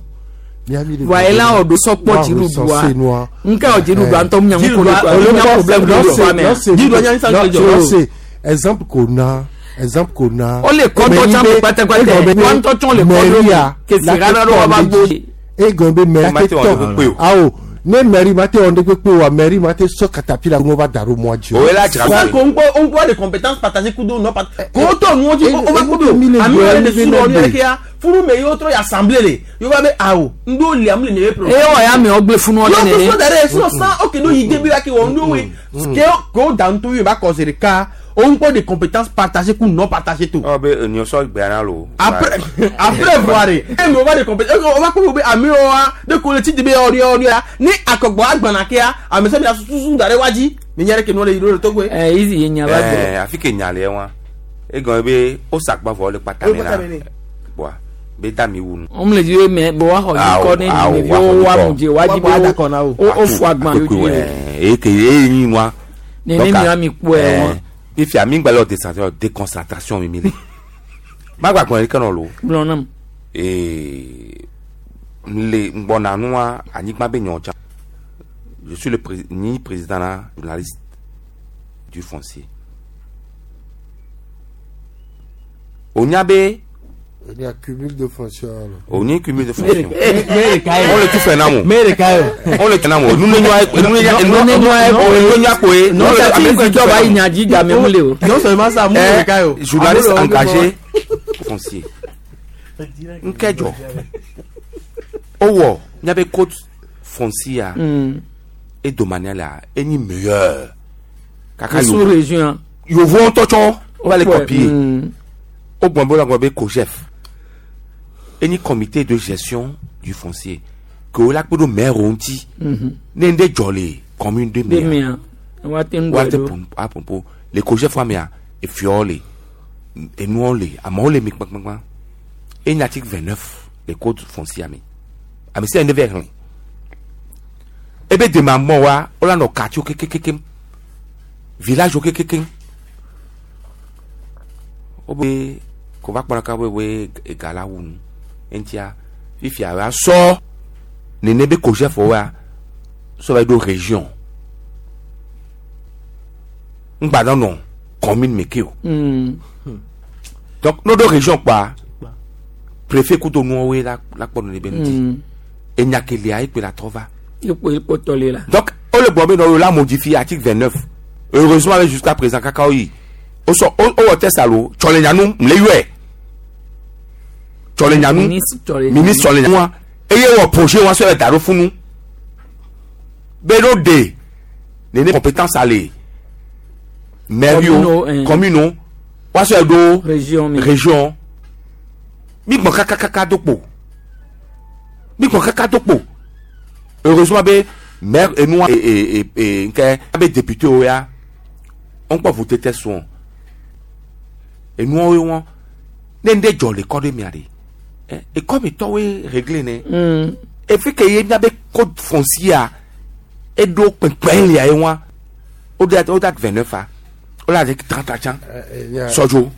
Miami le Wa gblɔ ela bena wɔ do sɔkpɔ wa dziɖuɖua. recenser nua. Nke wɔ dziɖuɖua ŋutɔ mu nya ŋu ko Dziɖuɖua- ɖo mu nya problème ɖo ɖo amea. Dziɖuɖua nya ŋusẽ le dzɔ. Se exemple ko na exemple ko na. O le kɔtɔ tsã me kpɛtɛkpɛtɛ. Wa ŋutɔ tsã le kɔ ɖo kesi ɣaɖa ɖo wa va gbo. Egɔn be mairie Ma te te wɔ ɖe kpekpe tɔ o. awo ne mairie ma te wɔ ɖe kpekpe oa mairie ma te sɔ katapila ŋu va da ɖo mɔa dzi o. O ye la dzra Sans qu'on on voit des compétences partagées kudo non partagées. Ko to nu o ji o va kudo. mi le Ami gblɔ wale de mi suru le oni gbe. le kia. Furu me yo tro ya assemblée le. Yo va be awo. Ndo le am le ne pro. Eye wɔ ya amewo gblẽ funu Yo ɖe to nene. so dare so sans OK no yi début la ki won do we. Ke ko dan to yo ba causer le cas. On voit des compétences partagées ou non partagées tout. Ɔ be eniosɔ gbea na lo. Après après voir e me va des compétences on va ko be ami o wa de ko le ti de be ori ori ya ni akogbo agbana kia ame se mi la susu dare waji. Mi nyere ke no le yiro le togo. Ɛ easy ye nya va gblɔ. Ɛɛ afi ke nya le wa egɔn be o sagba vɔ le kpata me na bɔa be da mi wu nu. Wɔn le dzi be mɛ bɔ wa xɔ Awo, nyikɔ ne awo, dzimeviwo wa xɔ wa nyikɔ. mu dze wa dzi be Wa bɔ wo adakɔ na wo. wo wo fo agban yo dzi. Ɛɛ eke ye nyi wa. Nene mi wa mi kpɔe wa. Fifia mi gba le décentration déconcentration mi mi le. Ma gba gbɔn ɖeke nɔ lo. Gblɔ nam. Ee le ŋgbɔna nua anyigba be nyɔ dza. Je suis le pré ni président na journaliste du foncier. O nya be Il y a cumul de fonctions. alors. o nye cumul de fonction. Mere kayo. On le tout fait na mo. Mere kayo. On le tena mo. Nunu nyɔ nunu nyɔ nunu nyɔ koe. Non sati zidɔ ba yi nya dzi game mu le o. Non seulement ça, Eh, mere kayo. journaliste engagé foncier. Nkɛjɔ. Owɔ miabe code foncier Mm. e domanial la enyi meilleur kaka sous région yovo ŋutɔ tsɔ wova le Wokpɔe, copier mm. wogbɔn be wolagblɔ be COGEF enyi comité de gestion du foncier ke wola kpe ɖo maire wo ŋuti Mhm. ne ŋɖe dzɔ le commune de de mea mea woate ŋu woate ɖo. pom- apompo le COGEF wa mea efiawo le enuawo le amewo le mi kpakpakpa enyi article vingt neuf le code foncier me ame sia ne va xlẽ ebe demamɔ wa wola nɔ quartier kekekekem village wo kekekem wobe ko va kpɔna ka be woe ega la wu nu eŋutia fifia wa sɔ nene be COGEF wa sɔ va yi ɖo région ŋgba nɔ nɔ commune me ke o Mm. donc n'o ɖo région kpa préfet kudo nuwoe la la kpɔ nene be ŋuti Mm. enya kelia ekpe la trɔ va ekpo ekpɔtɔ le la. donc o le gbɔ be nɔ la modifié article vingt neuf heureusement avec jusqu'à présent kaka oyi o sɔ o o wɔ test alo tsɔlenyanu mle yɔɛ tsɔlenyanu Ministre Tsɔlenyanu. ministre tsɔlenyanu wa eye wɔ projet wa sɔ yɛ da ɖo funu be n'o de nene compétence ale maire Commune, yo eh. commune wa sɔ yɛ ɖo région mi. région mi gbɔn kakakaka do kpo mi gbɔn kaka do kpo heureusement be maire enua e e e e nkɛ abe député wo ya wọn kpɔ vote tɛ sɔn enuawo wɔn ne ŋɖe dzɔ le kɔ ɖe mia de ɛ ekɔ mi tɔwoe réglé ne Mm. efi ke ye miabe code foncier eɖo kpɛnkpɛn lia ye wa o de o da vingt neuf a o la de trente a tsã sɔdzo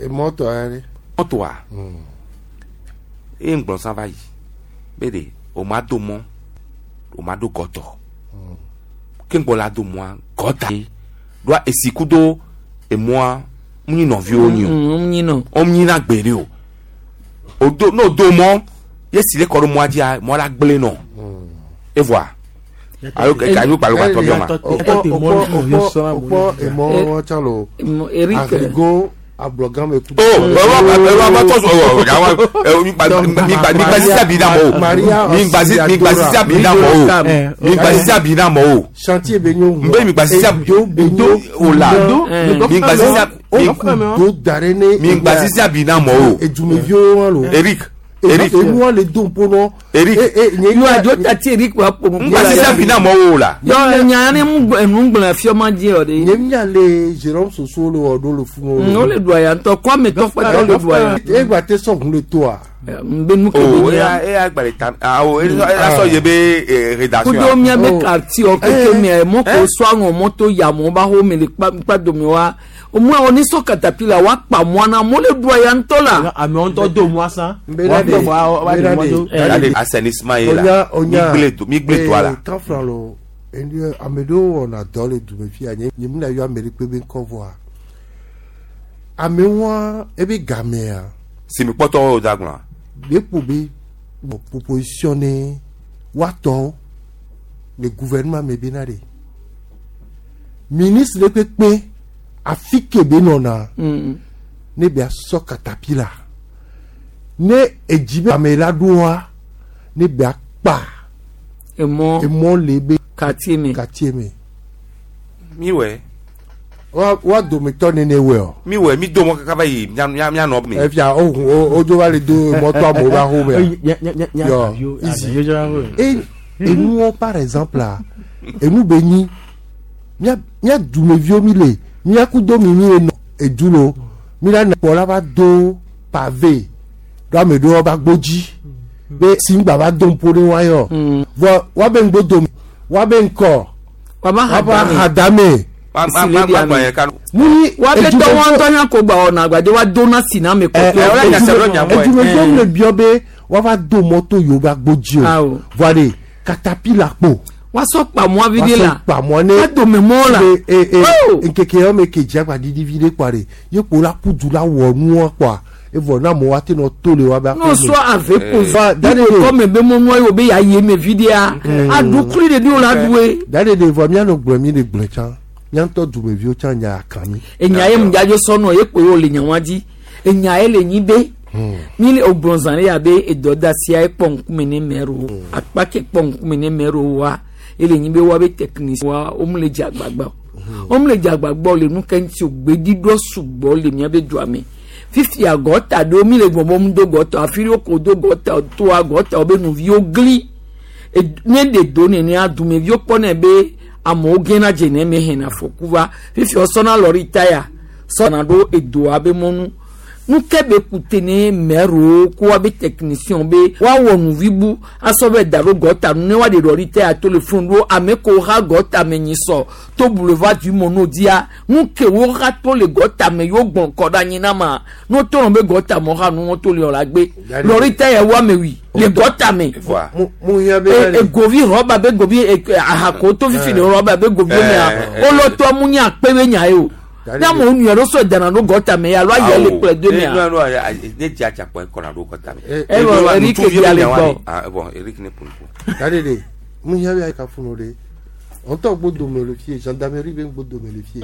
emɔtɔ ya ɖe. mɔtoa eye ŋgblɔ sã va yi be de o ma do mɔ o ma do gɔtɔ ke ŋgbɔ la do mɔa gɔta ɖoa esi kudo emɔa mu nyi nɔviwo nyi o Mm, nyi nɔ. o nyi na gbe ɖe o o do n'o do mɔ ye si le kɔ ɖo mɔa dzia mɔ la gblẽ nɔ evoa alo alo kpalo kpatɔ bi ma Okpɔ okpɔ okpɔ emɔ wɔn tsã lo. Eric. Arigo ablɔgame kudo. o ɛwɔ ɛwɔ abatɔ sɔ ɔ yawa ɛ mi gba mi gba mi gba sisi abi na mɔ o mi gba sisi mi gba sisi abi na mɔ o mi gba sisi abi na mɔ o Chantier be nyo. n bɛ mi gba sisi abi Edo be nyo. o la mi gba sisi abi O do da ɖe ne. mi gba sisi abi na mɔ o Edumeviwo wɔn lo. Eric Eric Enuwa le do ŋpo nɔ. Eric Yo adzo tati Eric wa ƒo n gba sisi abi na mɔ o la Yɔ nya ne mu gblɔ enu gblɔ fiɔ ma dzi yɔ de. Nye mia le Jérôme Soso le wɔ ɖo le funu. Mm, wole ɖua ya ŋutɔ kɔme tɔ kpɛtɔ le ɖua ya. Egba te sɔgun le toa. N be nu ke o be eya nya. eya gba le ta awo eya sɔ ye be eh, rédaction Kudo miabe quartier wɔ keke mia mɔ ko sɔ aŋɔ mɔto yamɔ ba xɔ me le kpa kpa dome wa. Omua wɔ ni sɔ katapila wa kpa mɔa na mo le ɖua ya ŋutɔ la. Amewo ŋutɔ do mɔa sã. Nbena de nbena de. Eya de assainissement ye la Onya onya. mi gble do mi gble toa la Kan fila lo enu ame ɖewo wɔna dɔ le dume fia nye nye mi na yɔ ame ɖe kpe be ŋkɔ vɔa. Amewoa ebe gamea si mi kpɔtɔ o da gblɔ be ƒo be wɔ proposition ne woatɔ le gouvernement me bena ɖe ministre ɖe kpekpe afi ke be nɔna Mm. ne bia sɔ katapila ne edzi be ame la ɖoa ne bia kpa Emɔ emɔ le be quartier me. quartier me mi wɛ wa wa dometɔ nene wɛ o mi wɛ mi do mɔ kaka va yi mia mia mia nɔ mi efia o hun o dzo va le do mɔtɔ amewo ba xɔ mea yɔ easy e enuwo par exemple la enu be nyi mía mía dumeviwo mi le mía kudo mi mi le nɔ edu lo mi la nɔ kpɔ la va do pavé do ame ɖewo va gbodzi be simgba va do ŋpo ɖe wa yɔ vɔ wa be ŋgbo dome wa be ŋkɔ Waba wa ba ha hadame ma ma ma ma gblɔ yɛ kanu muni wa be tɔ wɔn ŋutɔ nya ko gba wɔna agbade wa dona si na ame kɔkɔe. ɛ, ɛ, ɛ, edumeviwo le biɔ be wa va do mɔto yiwo va gbodzi o Awo. vɔ de katapila kpo Wa sɔ kpa mɔa vi de la. kpa mɔ ne Wa dome mɔ la. e e e Oh! nkeke yɔ me ke dzi agba didi vi ɖe kpoa de ye kpo la ku du la wɔ nua kpoa evɔ na amewo ate nɔ to le wa be N'o sɔ ave Va, ko da de de. kɔme be mɔnua yi o be ya ye me vi dea. Aɖukli de di o la ɖue. Da de de vɔ mianɔ gblɔ mi le gblɔ tsã miantɔ dumeviwo tsã nya kan mi Enya ye ŋdzadzo sɔnɔ ye kpo ye o le nya wa dzi. Enya ye le nyi be. Mi le ogbɔnzan le abe edɔdasia ekpɔ ŋkume ne mɛro akpa ke kpɔ ŋkume ne mɛro wa ele nyi be wa be technicien wa wo le dze agbagba o wo le dze agbagba o le nu ke ŋuti o gbeɖiɖɔ sugbɔ le miabe dua me fifia gɔta ɖewo mi le gbɔgbɔm do gɔta afi ɖewo ko do gɔta toa gɔta wo be nuviwo gli ne ɖe do nenea dumeviwo kpɔnɛ be amewo gena dze ne me hena afɔku va fifia wosɔna lɔri taya sɔna ɖo edoa be mɔnu nu ke be kute ne mɛrowo ko wa be technicien be woawɔ nuvi bu asɔ be da ɖo gɔta nu ne woaɖe lɔri taya to le funu ɖo ame ko ha gɔta me nyi sɔ to boulevard du mono dia nu ke wo ha to le gɔta me yewo gbɔn kɔ ɖe anyi na ma no to nɔ be gɔta me ha nu wo to le la gbe lɔri taya wo ame wi le gɔta me egovi rɔba be govi ahako to fifi le rɔba be govi mea wolɔtɔ mu nye akpe be nya ye o. Na mo nu yɛrɛ sɔ dana do gɔta mɛ alo ayɛ le kplɛ do mɛ. Non non ne dza dza kpɔ kɔna do gɔta mɛ. E bɔn Eric bi ale gbɔ. Ah bon Eric ne pun ko. Dade de mun yɛ bɛ ka funu de on tɔ gbo dome le fie gendarmerie bɛ gbo dome le fie.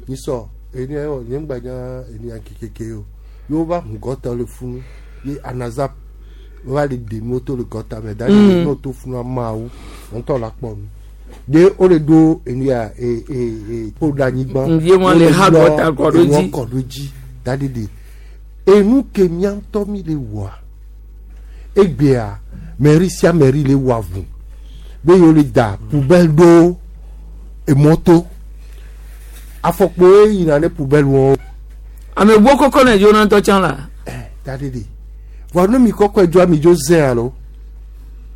Nisɔ eni ayɔ nye ŋgbadza eni akekeke o yewo va hun gɔta le funu ye anazap va le demi to le gɔta mɛ dade de n'o to funu amawo on tɔ la kpɔ nu. De o le do enu ya e e e ko da anyigba. Nvie wọn le ha gɔta kɔ ɖo dzi. Kɔ ɖo dzi dadi de enu ke mía ŋutɔ mi le wɔa egbea mɛri sia mɛri le wɔ avu be yewo le da poubelle ɖo emɔto afɔkpo ye yina ne poubelle wɔn. Ame gbɔ kɔkɔ ne dzo na ŋutɔ tsã la. Ɛ dadi de vɔ ne mi kɔkɔ dzo ami dzo zẽ alo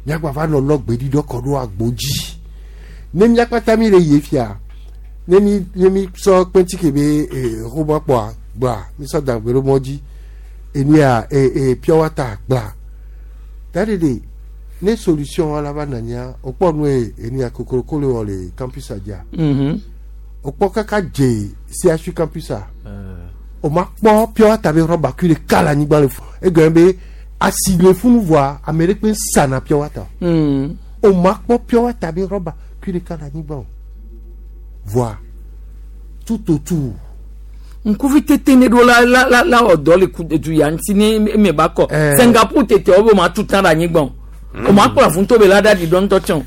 miagba va nɔ lɔ gbeɖiɖɔ kɔ ɖo agbo dzi. Ne miakpata mi le yie fia ne mi ne mi sɔ kpɛntike be ee xɔmɔ kpɔa gbla mi sɔ dagbe ɖo mɔ dzi enia ee ee piɔwata gbla tari de ne solution wa la va nania o kpɔ nu ye enia kokoroko le wɔ le campus adzia o kpɔ kaka dze C H U campus a o ma kpɔ piɔwata be rɔba kui ɖeka le anyigba le fu egɔme be asi le funu voa ame ɖe kpe sana piɔwata o ma kpɔ piɔwata be rɔba kui ɖeka le anyigba o voa tout autour. Nkuvi tete ne ɖo la la la la wɔ dɔ le ku du ya ŋuti ne eme ba kɔ Singapour tete wo be o ma tu tan ɖe anyigba o o ma kplɔ afunto be la ɖe aɖi dɔ ŋutɔ tsɛ o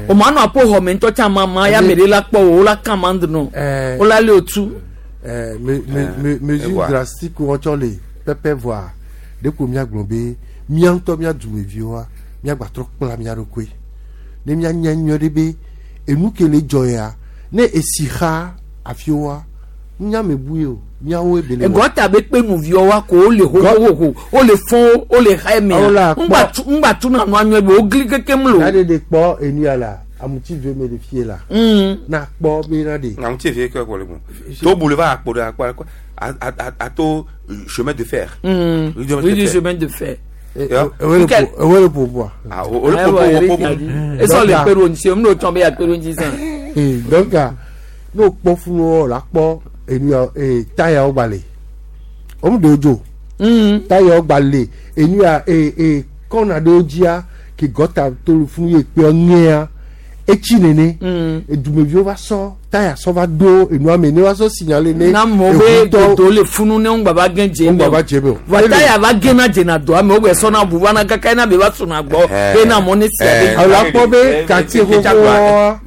o ma nɔ aƒe xɔme ŋutɔ tsɛ ama ma ya ame ɖe la kpɔ o la kã ma ŋdɔ o la lé o tu. Me me me mesure drastique wɔn tsɔ le pɛpɛ voa ɖeko miagblɔ be mía ŋutɔ mía dumeviwoa miagbatrɔ kpla mía ɖokui ne mianya nyuie ɖe be enu ke le dzɔ ya ne esi xa afiwoa nyame bu ye o miawo ebele. Egɔta be kpe nuviwo wa ko wo le hohoho wo le fɔn wo le xa emea ŋgba tu ŋgba tu na nua nyuie be wo gli kekem lo. Na de de kpɔ enu ya la amuti ve me le fie la. Na kpɔ be na de. Amuti ve ke kɔ le bon. To boulevard akpo de akpo akpo a a a to chemin de fer. Oui du chemin de fer. Ewe le pourboire. Ah o le pourboire. Esɔ le kpeɖo ŋuti o mi n'o tɔn be ya kpeɖo ŋuti sàn. Donc n'o kpɔ funu wɔ la kpɔ enu ya ee tayawo gba le o mu de o dzo tayawo gba le enu ya ee ee kɔna ɖewo dzia ke gɔta to le funu ye kpe ŋea etsi nene edumeviwo va sɔ taya sɔ va do enua me ne va sɔ signalé ne. Na mɔ be dodo le funu ne ŋgba va gɛn dze ŋgba va dze me o. Va taya va gɛn dzena doa me o gbɛ sɔna bu va na kaka ena be va sɔna gbɔ be na mɔ ne sia be. Alo akpɔ be quartier xoxoa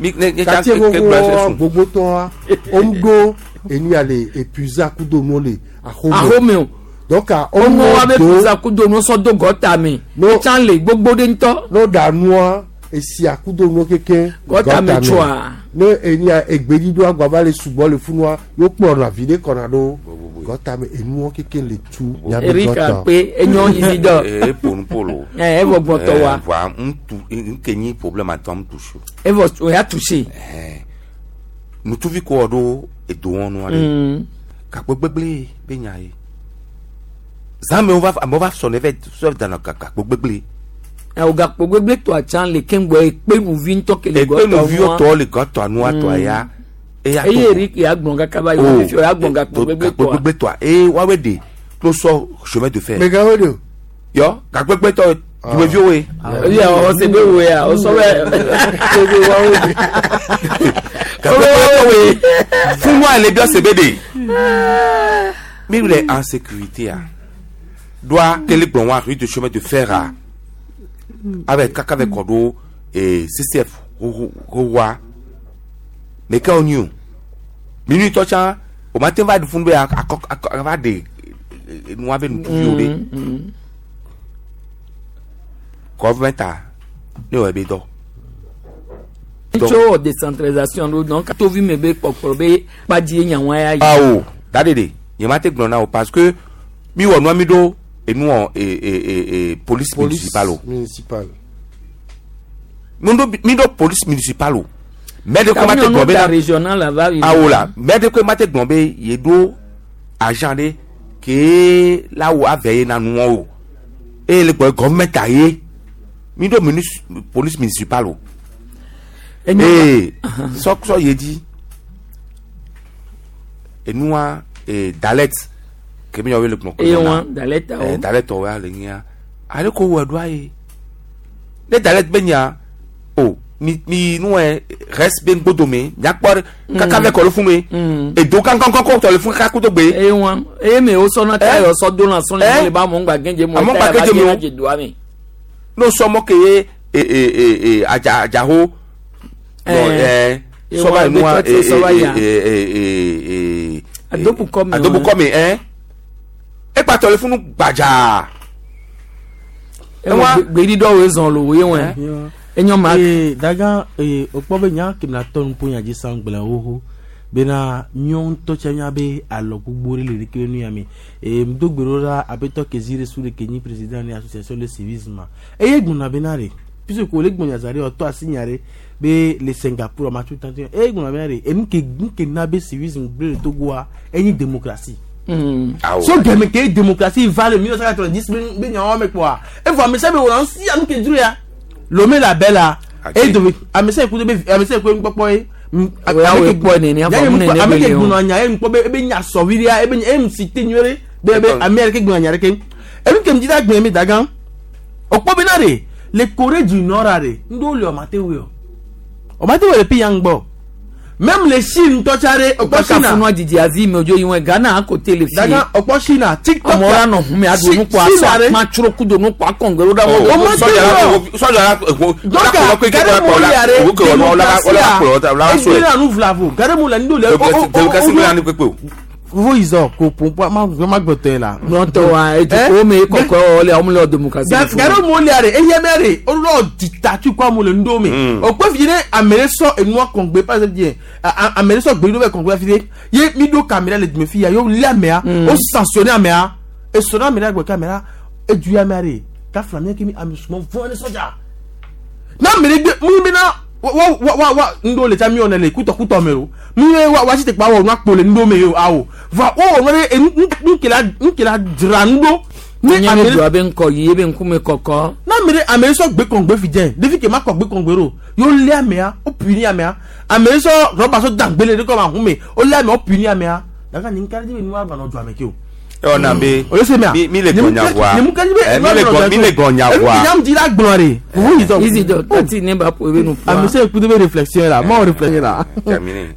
quartier xoxoa gbogbotɔa o mu do enu ya le épuisé kudo nu le axome. Axome o. Donc o mu wa be épuisé kudo nu sɔ do gɔta me. Etsan le gbogbo de ŋutɔ. N'o da nua esi akudo nu keke. Gɔta me tsoa. Ne enu ya egbeɖiɖo agbava le sugbɔ le funua yóò kplɔ na vi ɖe kɔna ɖo gɔta me enuwo keke le tu. Erika pe enyo Isidore. Ee ponu polo. Ɛ evɔ gbɔtɔ wa. Voa ŋutu nke nyi problème atɔ ŋutu su. Evɔ o ya touché. Nutuvi kɔ ɖo edowɔnu aɖe. Gakpo gbegble be nya ye. Zãme wo va amewo va sɔ ne vɛ sɔ dana gakpo gbegble. O gakpo gbegble tɔ atsa le keŋgbɔ ekpe nuvi ŋutɔ ke le gɔtɔ nua. Ekpe nuviwo tɔ le gɔtɔ nua tɔ ya. Eye Eric ya gblɔ kaka ba yi fi ya gblɔ gakpo gbegble tɔa. Gakpo gbegble tɔa eye woawoe de to sɔ chemin de fer. Megawoe de o. Yɔ gakpo gbegble tɔ dumeviwo ye. Eya ɔsɛ be wo ya ɔsɔ bɛ. Gakpo gbegble tɔ ye fún wa le biɔ sebe de. Mi le en sécurité a. Doa kele gblɔ wa rue de chemin de fer a avec kaka avec kɔdo et C C F wa mais ke wonyi o minui tɔ tsã o ma te va funu be akɔ akɔ va de nua be nutuviwo ɖe gɔvmɛnta ne wɔ ebe dɔ. Tso décentralisation ɖo donc tovi me be kpɔkplɔ be kpadzi ye nyawo ya yi. Awo da de de nye ma te gblɔ na o parce que mi wɔ nua mi ɖo enuɔ e e e e police municipale o. Municipal. Mi ɖo mi ɖo police municipale o mɛ de ko ma te gblɔ be na régional la va. Awo la mɛ de ko ma te gblɔ be ye ɖo agent ɖe ke la wo ave ye na nuwɔ o eye le gblɔ gɔvmɛnta ye mi ɖo munis police municipale o ee sɔ sɔ ye dzi enua ee dalet ke mi yɔ wele gbɔn eye wɔn dalet awɔ ee dalet wɔ ya le nya ale ko wɔ ɖoa ye ne dalet be nya o mi mi nuwɛ reste be ŋgbodome nyakpɔ ɖe kaka vɛ kɔ le fún mi edo kankankan tɔ le fún kaka kudo gbe. Eye wɔn eye mi wo sɔnna ta yɔ sɔ do na sɔnni mo le ba mɔ ŋgba gɛnjɛ mo ta yaba jɛ na doa mi. N'o sɔmɔ ke ye ee ee ee adza adzaho ɛɛ sɔba nua ee ee ee adobukɔmi adobukɔmi ɛ ekpatɔ le funu gbadza. Ewa gbedi dɔw zɔn lo ye wɔn enyɔ ma. Ee daga ee o kpɔ be nya kemi na tɔ nupo nya dzi san gblẽ xoxo bena míawo ŋutɔ tse míabe alɔ gbogbo ɖe le ɖeke nu ya me ee ŋdo gbe ɖo ɖa aƒetɔ Kezi su ɖe ke nyi président ne association de civisme eye gbɔna bena ɖe puisque ko le gbɔnya za ɖe ɔtɔ asi nya ɖe be le Singapour ma tu tante eye gbɔna bena ɖe enu ke nu ke na be civisme gblẽ le Togoa enyi démocratie. Mm. So gɛmɛ ke démocratie va le mille neuf cent quatre-vingt-dix be nyawo me kpɔa evɔ ame sia ame wɔna ŋusi anu ke dzro ya Lomé la belle la e dobe ame sia ku de be ame sia ku ŋkpɔkpɔ ye. Ame ke gbɔna nya ye ŋkpɔ be ebe nya sɔvi ɖia ebe nya emu si te nyuie ɖe be be ame yɛrɛ ke gbɔna nya ɖe ke enu ke ŋdzi da gbɔna mi dagã o kpɔ bena ɖe le Corée du Nord ɖe ŋɖewo le ɔma te wɔ ɔma te wɔ le pi ya ŋgbɔ même le Chine ŋutɔ tsa ɖe ɔkpɔ Chine. Funua didi azi me odzo yi wɔn Ghana akote le fi. Dagã ɔkpɔ Chine TikTok. Amewo la nɔ hun mi aɖu nukpɔ asɔ akpa tsro kudo nukpɔ akɔŋgbɛ ɖo ɖa. O ma te wɔ sɔdza la donc gare mo le yare démocratie a egbena nu vlavo gare mo le ŋdo le o o o vovo izɔ ko pompa ma ma gbɔtɔ ye la. Gbɔtɔ wa etu ko me kɔkɔ wɔ le amu le démocratie. Gare mo le yare eye mɛ re o lɔ dictature kɔ amu le ŋdo me o kpe fi ne ame ɖe sɔ enua kɔngbe par exemple diɛ ame ɖe sɔ gbe ɖo bɛ kɔngbe fi de ye mi ɖo caméra le dume fi ya ye li amea o sanctionné amea esɔnna ame ɖe gbɔ caméra edu amea re kafla mi kemi ame sumɔ vɔn ne sɔdza n'a ame ɖe gbe mu bena wa wa wa wa ŋdo le tsa mi wɔna le kutɔkutɔ me o mi ye wa wa si te kpa wɔ nua kpo le ŋdo me o awo va o wɔ nua ɖe nukela nukela dzra ŋdo. Ne ame ɖe do abe ŋkɔ yi ebe ŋkume kɔkɔ. N'a ame ɖe ame ɖe sɔ gbe kɔngbe fi dze ɖevi ke ma kɔ gbe kɔngbe ɖo y'o lé amea o puni amea ame ɖe sɔ rɔba sɔ dangbe le ɖe kɔ ma hun me o lé amea o puni amea daga ni nkari be nua gbanɔ du ame ke o. Ɔ na be o se mea mi mi le gbɔnya voa mi le gbɔ mi le gbɔnya voa enu nyam dzi la gblɔ de vovo yi zɔ. Izi dɔ tati ne ba po ebe nu poa. Ame se kudo be réflexion la mɔ réflexion la. Terminé.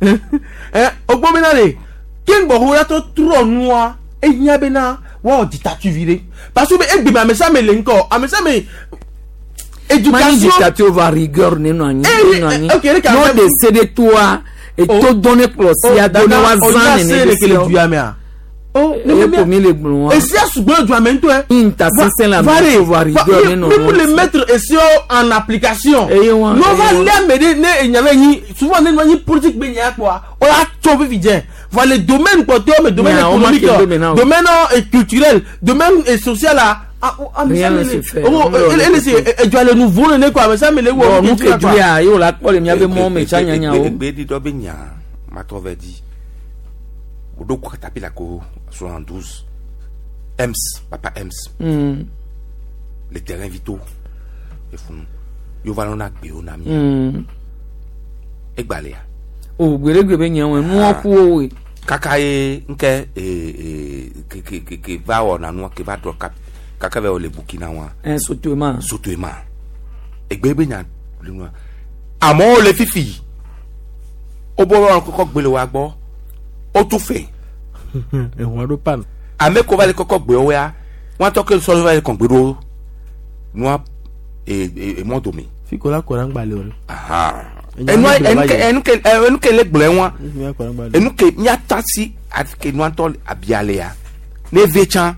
Ɛ o gbɔ bena de ke ŋgbɔ la tɔ trɔ nua ehiã bena wɔwɔ dictature vi ɖe parce que egbeme ame sia ame le ŋkɔ ame sia ame éducation. Mani dictature va rigueur ne nɔ anyi ne nɔ anyi n'o de se de toa eto dɔn ne kplɔ sia do ne wa zan nene de se. Oh, ne mi mi le gblɔ wa. Esi asugbɔ le duame ŋutɔ yɛ. Nta sese la mi va rigueur ne nɔ. Mi pour le mettre esi en application. Eye wa n'o va lé ame ɖe ne enyame nyi souvent ne nɔ nyi politique be nya kpɔa o la tso fifi dze. Voilà le domaine kpɔtɔe me domaine économique domaine culturel domaine social la. Rien ne se fait. Oh, ele se edua le nouveau ne quoi mais ça me le wo. Nu ke dua ye o la kpɔ le miabe mɔ me tsa nyanya o. Egbe di dɔ be nya matɔ vɛ di. Odo katapila ko soixante-douze Ems papa Ems. Mm. Les terrains vitaux efunu yova lɔna gbewo na mi. Mm. Egbalea. O gbeɖegbe be nyawo nuwɔ ku wo. Kaka ye ŋkɛ ee ee ke ke ke ke va wɔna nua ke va drɔ kap kaka vɛ wɔ le Burkina wa. Ɛ Sotoema. Sotoema egbe be nya le nua amewo le fifi wo bɔ wɔn kɔkɔ gbele wa gbɔ o tu fɛ. Ehun aɖo pan. Ame ko va le kɔkɔ gbe wo ya wọn tɔ ke sɔlɔ va yi kɔn gbeɖo nua e e emɔ dome. Fikola kɔra ŋgba le o. Enu enu ke enu ke le gblɔe wa enu ke miata si ke nua tɔ abia le ya ne ve tsã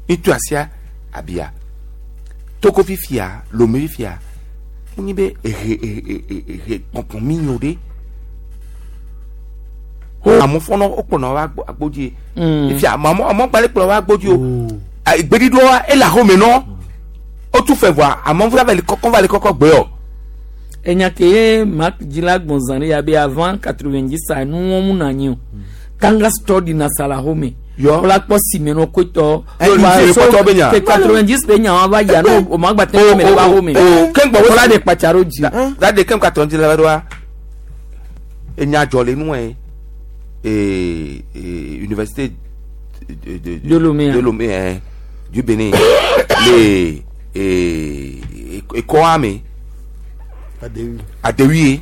mitu asia abia Togo fifia Lomé fifia munyi be ehe ehe ehe kpɔnkpɔn mi nyo de amu fɔnɔ o kplɔnɔ wa agbodzi fifia amu amu gbalẽ kplɔ wa agbodzi o gbeɖiɖɔ wa ele ahome nɔ o tu fɛ voa amu va le kɔkɔ va le kɔkɔ gbe o. Enya ke ye Marc Djila Gbɔnzan ya be avant quatre-vingt-dix a nu wɔn mu na nyi o tanga store na sala home wala kpɔ sime no kotɔ quatre-vingt-dix be nya wa va ya no o ma gba tɛ mɛ ba home wala de kpatsaro dzi. Da de kem quatre-vingt-dix la va do enya dzɔ le nue et université de de de Lomé de Lomé hein, du Bénin les et et Koame Adewi Adewi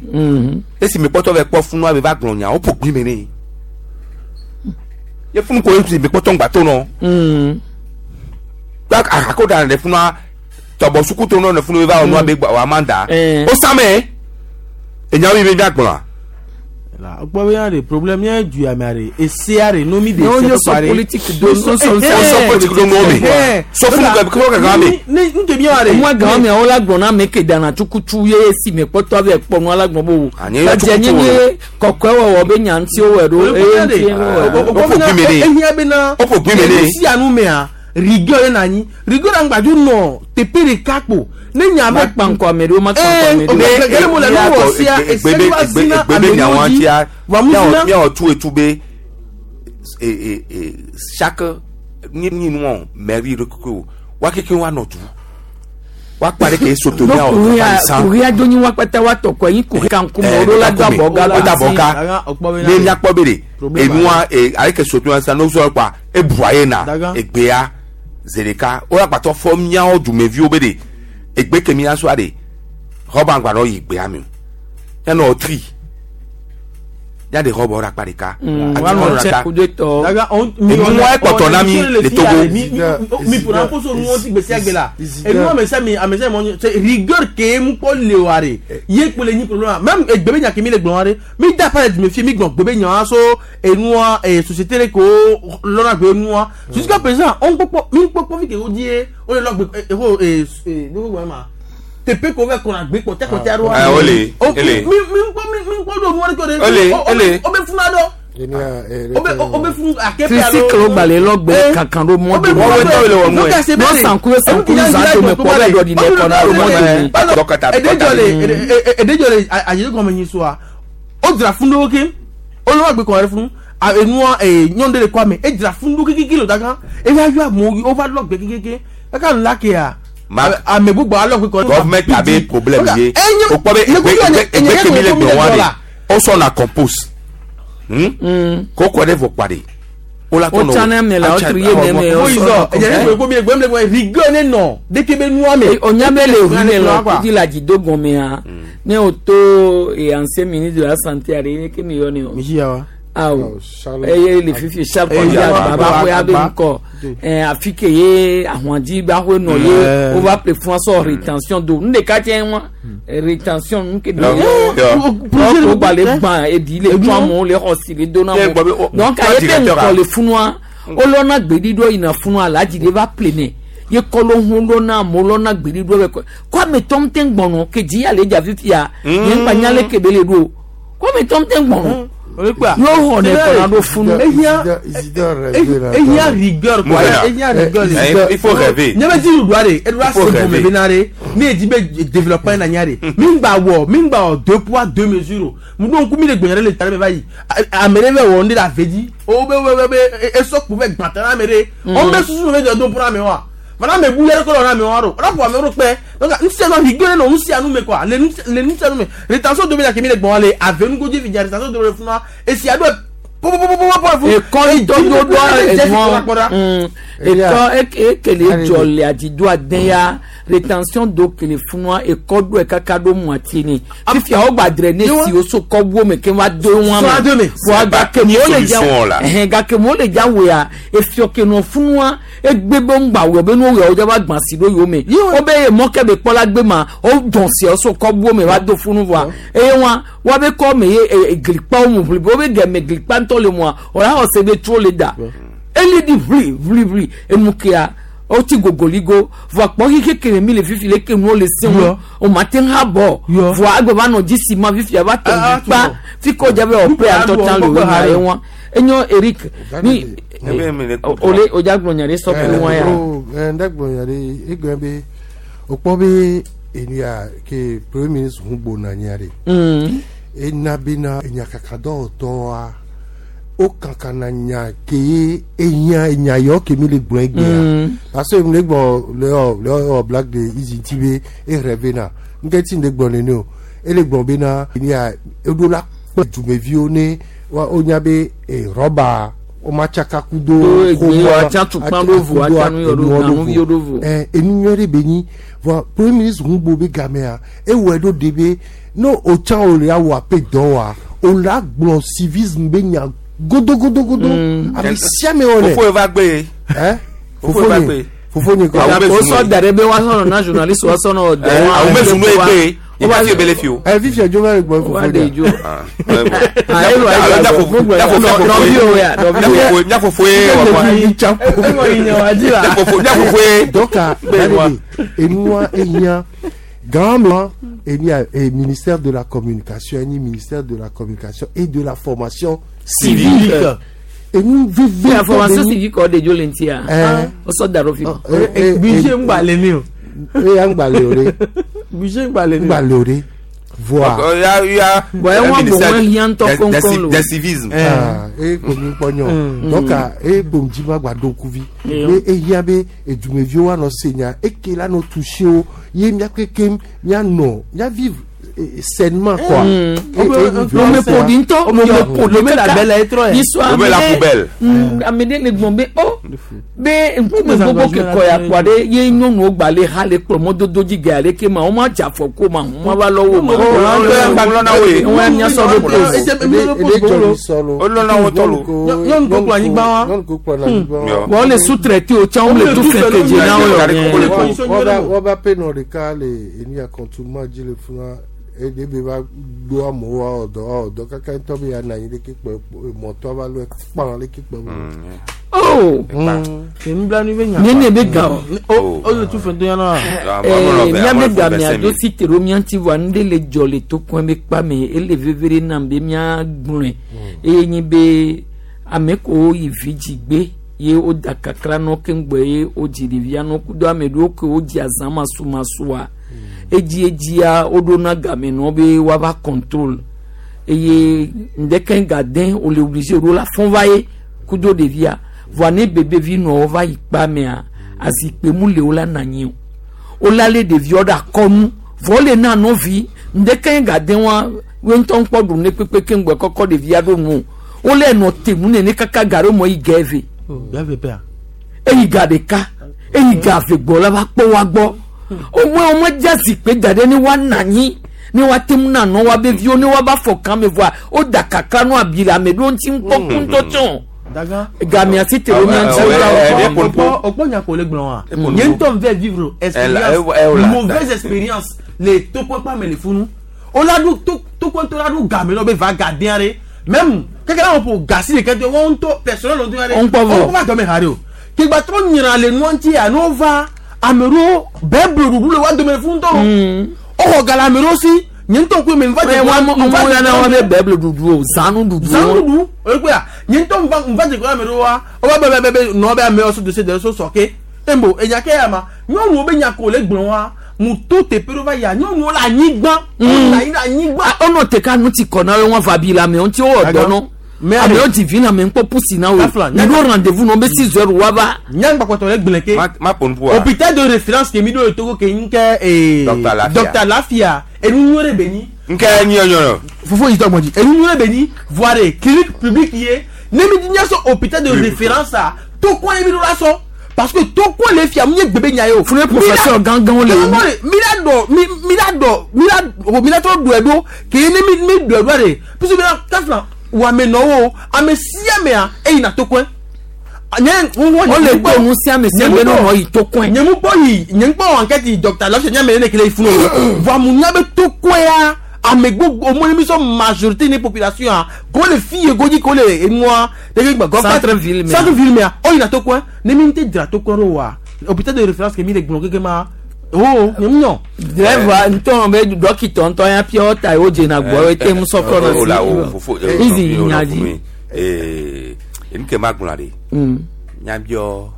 esi me kpɔtɔ vɛ kpɔ funu ame va gblɔ nya wo ƒo gbi me ne ye funu ko esi me kpɔtɔ ŋgba to nɔ ako da le funua tɔbɔ suku to nɔ le funu va wɔ nua be wa ma da o same enyawo yi be mia gblɔa. Gbɔ bɛ yan de problème yẹn ju yàmɛ are ese are nomi de se sɔ politique do no sɔ sɔ politique do no mi sɔ funu kɛ kɛ kɛ mi. Ne n tɛ mi yɛrɛ. Mu agã mi awo la gbɔn na mi ke dana tukutu ye si mi kpɔtɔ avɛ kpɔnu ala gbɔn bo. Ɛdze nye nye kɔkɔɛ wɔwɔ be nya ŋuti wo wɛ ɖo eye ŋuti wo wɛ ɖo. O ƒo gbi mi ne. Ehiã bena o ƒo gbi mi ne. Esi anu mea rigueur ye na anyi rigueur aŋgbadu nɔ teƒe ɖeka kpo ne nya be kpankɔ ame ɖewo ma kpankɔ ame ɖewo. Ne gɛlɛ mo le nu wɔ sia ese wa zina ame ɖewo dzi wa mu zina. Miawɔ tu etu be chaque ni ni nu mairie ɖe keke o wa keke wa nɔ du wa kpa ɖe ke soto miawɔ san. Kuria do nyi wa kpata wa tɔ kɔ yi kuri kan kume o ɖo la do abɔ ga la do abɔ ga ne miakpɔ be de enua ale ke soto ya sa n'o sɔ kpa ebua ye na egbea zereka o agbãtɔ fɔ miawo dumeviwo be de egbe ke mia sɔa de rɔba ŋgba nɔ yi gbea mi o yanɔ tri ya de rɔba ɖe akpa ɖeka enua ekpɔtɔ na mi le Togo. Mi ƒona koso nuwo ti gbe sia gbe la enua ame sia ame sia ame rigueur ke mu kpɔ le wa de ye kple nyi problème même egbe be nya ke mi le gblɔ wa de mi da pa le dume fie mi gblɔ gbe be nya wa so enua société ɖe ko lɔna gbe enua jusqu'à présent on kpɔkpɔ mi kpɔkpɔ fi ke wo di ye o le lɔ gbe eho ee ee ne ko gblɔ ma tepe ko vɛ kɔna gbe kɔtɛ kɔtɛ aɖewo. Ɛ o le ele. Mi mi kpɔ mi mi kpɔ do nuwari kɔ de. Ele ele. O bɛ funu adɔ. O bɛ o bɛ funu a kɛ pe alo. Tricycle gbalẽ lɔ gbe kankan ɖo mɔ do. Nɔ sanku sanku zan do me kpɔ bɛ dɔ di ne kɔna ɖo mɔ do. Edejɔ le edejɔ le ayi gɔmɛ nyi soa o dzra funu ɖewo ke o lɔ gbe kɔn ɖe funu enua nyɔnu ɖe le kɔ ame edzra funu ɖo kekeke le o da kan eva yɔ amewo wo va lɔ gbe kekeke eka nu la kea. Ame gbogbo alɔ kpe kɔ. Government abe problème ye o kpɔ be egbe egbe kemi le gbe wa de o sɔn na compose ko kɔ ɖe vɔ kpa de o la tɔnɔ o tsana me la o tri ye ne me o sɔn. Ɛyɛ ne ko mi le gbɛm le gbɛ rigueur ne nɔ deke be nua me. O nya be le hu ne lɔ kudi la dzi do gɔmea ne o to ancien ministre de la santé are ne ke mi yɔ ne o. Misi ya wa. Awo eye le fifi Charles Kɔdzi baba ƒe abe ŋkɔ ɛ afi ke ye ahɔndzi ba ƒe nɔ ye wova ple fún sɔ rétention do nu ɖeka tse wa rétention nu ke do o gba le gbã eɖi le tún amewo le xɔ si le do na mo donc aye be ŋkɔ le funua wolɔna gbeɖiɖɔ yina funua aladzi de va ple nɛ ye kɔlɔ hu lɔna amewo lɔna gbeɖiɖɔ bɛ kɔ kɔ ame tɔm te gbɔnɔ ke dzi ya le dza fifia nye ŋgba nya le ke be le ɖo kɔ ame tɔm te gbɔnɔ. Yóò hɔn kɔnɔ ɖo funu. Ehiã rigueur quoi ehiã rigueur. Il faut rêver. Nye bɛ di ɖuɖua de eɖua se gɔme bena de ne ye di be développement na nya de mi gba wɔ mi gba wɔ deux poids deux mesures o mu ɖo ŋku mi le gbɛnyɛ ɖe le ta ɖe me va yi ame ɖe bɛ wɔ ŋɖe le ave dzi o be be be esɔ kpo bɛ gbãtɔ na ame ɖe o bɛ susu bɛ jɔ do ƒo na ame wa fana ame bu yɛrɛ kɔ lɔ na ame wa ɖo ɔlɔ ƒo ame ɖo kpɛ donc nusia nu rigueur ne nɔ nusia nu me quoi le le nusia nu me rétention do be la kemi le gbɔn le ave nugodzi fi dza rétention do le funua esi aɖo ekɔ tɔdo do ɛnua ekɔ ekele dzɔ le adi do ade ya Rétention d'eau ke le funua ekɔ do kaka do moitié ni. Fifia wo gba drainer si wo so kɔ wo me ke wa do wa me. Voa gake mo le dza ɛhɛn gake mo le dza woya efiɔ ke nɔ funua egbe be ŋgba wɔ be no wɔ dza va gbã si do yome. Wo be ye mɔ ke be kpɔ la gbe ma wo dɔn si wo so kɔ wo me va do funu voa eye wa wa be kɔ me ye glikpa wo mu ʋli wo be gɛmɛ glikpa ŋutɔ le mua o la xɔ se be tro le da. Eli di ʋli ʋli ʋli enu kea. O ti gogoligo voa kpɔ xixi kele mi le fifi le ke nuwo le se ŋu o ma te ha bɔ voa agbe va nɔ dzi si ma fifi ava tɔ glikpa fi ko dza be ɔpɛ atɔ tã le wo nya ye wa enyo Eric ni ole o dza gblɔ nya ɖe sɔ kple wa ya. Ɛ n gblɔ nya ɖe egblɔ be o kpɔ be enia ke premier ministre ŋu gbona nya ɖe. Ena bena enyakakadɔwɔtɔwoa o kankan na nya ke ye enya enya yɔ ke mi le gblɔ egbea parce que mi le gbɔ le ɔ le ɔ blague de izi ti be e rêve na nke ti le gbɔ nene o e le gbɔ bena enia eɖo la kpe dumeviwo ne wa o nya be e rɔba o ma tsaka kudo ɛ enu nyuie ɖe be nyi vɔ premier ministre ŋu gbo be gamea ewɔe ɖo de be no o tsã o le awɔ aƒe dɔ wa o la gblɔ civisme be nya godo godo godo ame sia ame wɔ nɛ. Fofo va gbe. Ɛ fofo va gbe. Fofo nye kɔ. O sɔ da ɖe be wa sɔnɔ na journaliste wa sɔnɔ dɔ. Awo bɛ zunu egbe. I b'a fi ebele fi o. Ɛ fifi dzo va le gbɔ fofo de. Nyafofo ye nyafofo ye. Donc enua enya grand et ministère de la communication, ni ministère de la communication et de la formation civique. Et nous vivons la formation civique au de Jolentia. On sort d'Arofi. Budget m'balé mieux. Et un balé. Budget m'balé mieux. Voir. Il y a il y a des civisme. Ah, et comme pognon. Donc et bon dima gba dokuvi. Et et y a be et du me vieux no senya et que là no touché o yé mia kekem mia non, mia vivre sainement quoi. Me podinto, me me la belle être. On met la poubelle. Amede le gbɔn be oh be nkume gbogbo ke kɔ ya kpɔ ɖe ye nyɔnuwo gba le ha le kplɔ mɔdodo dzi ge ale ke ma wo ma dze afɔ ko ma hu ma va lɔ wo ma. Wɔn ya sɔ ɖo pose. Wɔn le sous-traité o tsã wɔn le tu fɛn kedze na wo yɔ. Wọ́n bá pè nà ɖeka le eni akɔntumá dzi le fún ede be va do amewo ɔdɔ ɔdɔ kaka ŋutɔ be ya na anyi ɖeke kpɔ mɔtɔ va lɔ kpã ɖeke kpɔ. Oh ne ne be ga o o le tu fɛn to yan na. Ɛɛ miabe ga mia do si te ɖo mia ŋuti voa nu ɖe le dzɔ le tokɔe be kpa me ele veve ɖe nam be mia gblɔe eye nyi be ame kewo yi vi dzi gbe ye wo da kakra nɔ keŋgbɔ ye wo dzi ɖevia nɔ kudo ame ɖewo ke wo dzi azã masumasua. Edzi edzia woɖona game nɔ be woava contrôle eye ŋdeke gade wole obligé ɖo la fɔn va ye kudo ɖevia voa ne bebevi nɔ va yi kpa mea azikpe mu le wo la na anyi o wola le ɖeviwo ɖe akɔnu vɔ wole na nɔvi ŋdeke gade wa wo ŋutɔ ŋkpɔ ɖu ne kpekpe keŋgbɔ kɔkɔ ɖevia ɖo nu wole nɔ te nu nene kaka ga ɖe mɔ yi ga eve eyi ga ɖeka eyi ga eve gbɔ la va kpɔ wa gbɔ. Au moins, au moins, jazz pe dade ni wa nani ni wa temu na no wa be vio ni wa ba fo kan me voir o da kakra no abila me do nti npo kun to ton gamia si te o mi anti o po nya ko le gbon wa nye nto ve vivre expérience mauvaise expérience les to ko pa me le funu o la du to to ko to la du game no be va garder re même quelqu'un on pour gasser les quelqu'un on to personnel on to re on va dormir hare o ke gba to nyira le no nti ya no va amero bɛɛ ɖuɖu le wa dome fún tɔ o xɔ gala amero si nye ŋutɔ koe me nfa dze wa wa ya na wa bɛ bɛɛ ɖuɖu o zanu ɖuɖu zanu ɖuɖu o ye kpe ya nye ŋutɔ nfa nfa dze kɔ amero wa o ba bɛ bɛ bɛ nɔ bɛ amewo so dossier de so sɔ ke embo enya ke ya ma nyɔnuwo be nya ko le gblɔ wa mu to teƒe ɖo va ya nyɔnuwo le anyigba le anyigba. ɔnɔ te ka nu ti kɔ na wo wɔn fa bi la mɛ ŋuti wo dɔ nɔ. Ame ti vi na me ŋkpɔ pusi na wo mi ɖo rendez-vous nɔ be six heures wa va. Nyagbakpɔtɔ le gblẽ ke hôpital de référence ke mi ɖo le Togo ke ŋkɛ ee Docteur Lafia enu nyuie ɖe be nyi. Ŋkɛ nyuie fofo yi tɔ gbɔdzi enu nyuie ɖe be nyi voa de clinique publique ye ne mi di nya sɔ hôpital de référence a to kɔn ye mi ɖo la sɔ. Parce que toko le fia mi gbebe nya yo. Fune professeur gangan le. Mi la do mi mi la do mi la mi la to do edo ke ni mi mi do edo re. Puisque mi la kafla wa me no wo ame sia me a e ina toko. Nye o le gbọ́ ohun sí àmì sí ẹgbẹ́ náà wọ́n yìí tó kún ẹ̀. Nye mu bɔ yi nye ŋkpɔ enquête docteur Love nye me ne kele funu o. Voa mu nya be to kɔn ya ame gbogbo o mɔni mi sɔn majorité ni population a ko le fi ye godzi ko le enua dege gbɛ gɔfɛ centre ville mɛ centre ville mɛ o yina to kɔn ne mi te dzra to kɔn ɖo wa hôpital de référence ke mi le gblɔ keke ma o nye mu nyɔ. Drɛva ntɔn bɛ dɔkitɔ ntɔn ya pure water o dzena gbɔ ete mu sɔ kɔ na si izi nyadzi. Enu ke ma gblɔ de nyabiɔ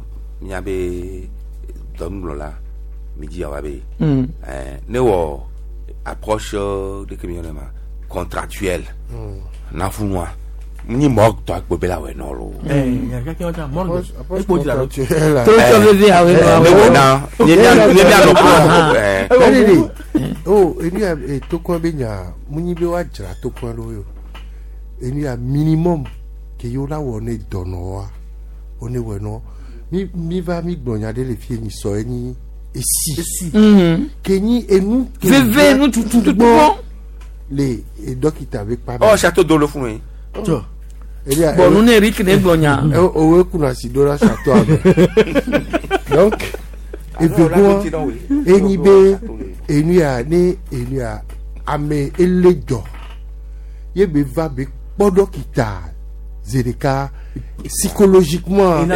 nyabe dɔnugblɔla mi dzi awa be ne wɔ approche de ke mi yɔnɛ ma contractuelle nafunua ni mɔ tɔ agbo be la wɛ nɔ lo. Torotɔ veve awo ne wɔ na ne mia ne mia nɔ kplɔ. O enu ya tokɔ be nya munyi be wa dzra tokɔ ɖo yo enu ya minimum ke yewo la wɔ ne dɔnɔwoa wo ne wɔ nɔ mi mi va mi gblɔ nya ɖe le fie nyi sɔ enyi esi ke nyi enu ke veve nu tutu gbɔ le dɔkita be kpa ɔ château d'eau le funu ye. Bon nu ne Eric ne gblɔ nya. Owo kuna si do la château ame donc evegoa enyi be enu ya ne enu ya ame ele dzɔ ye be va be kpɔ dɔkita zereka psychologiquement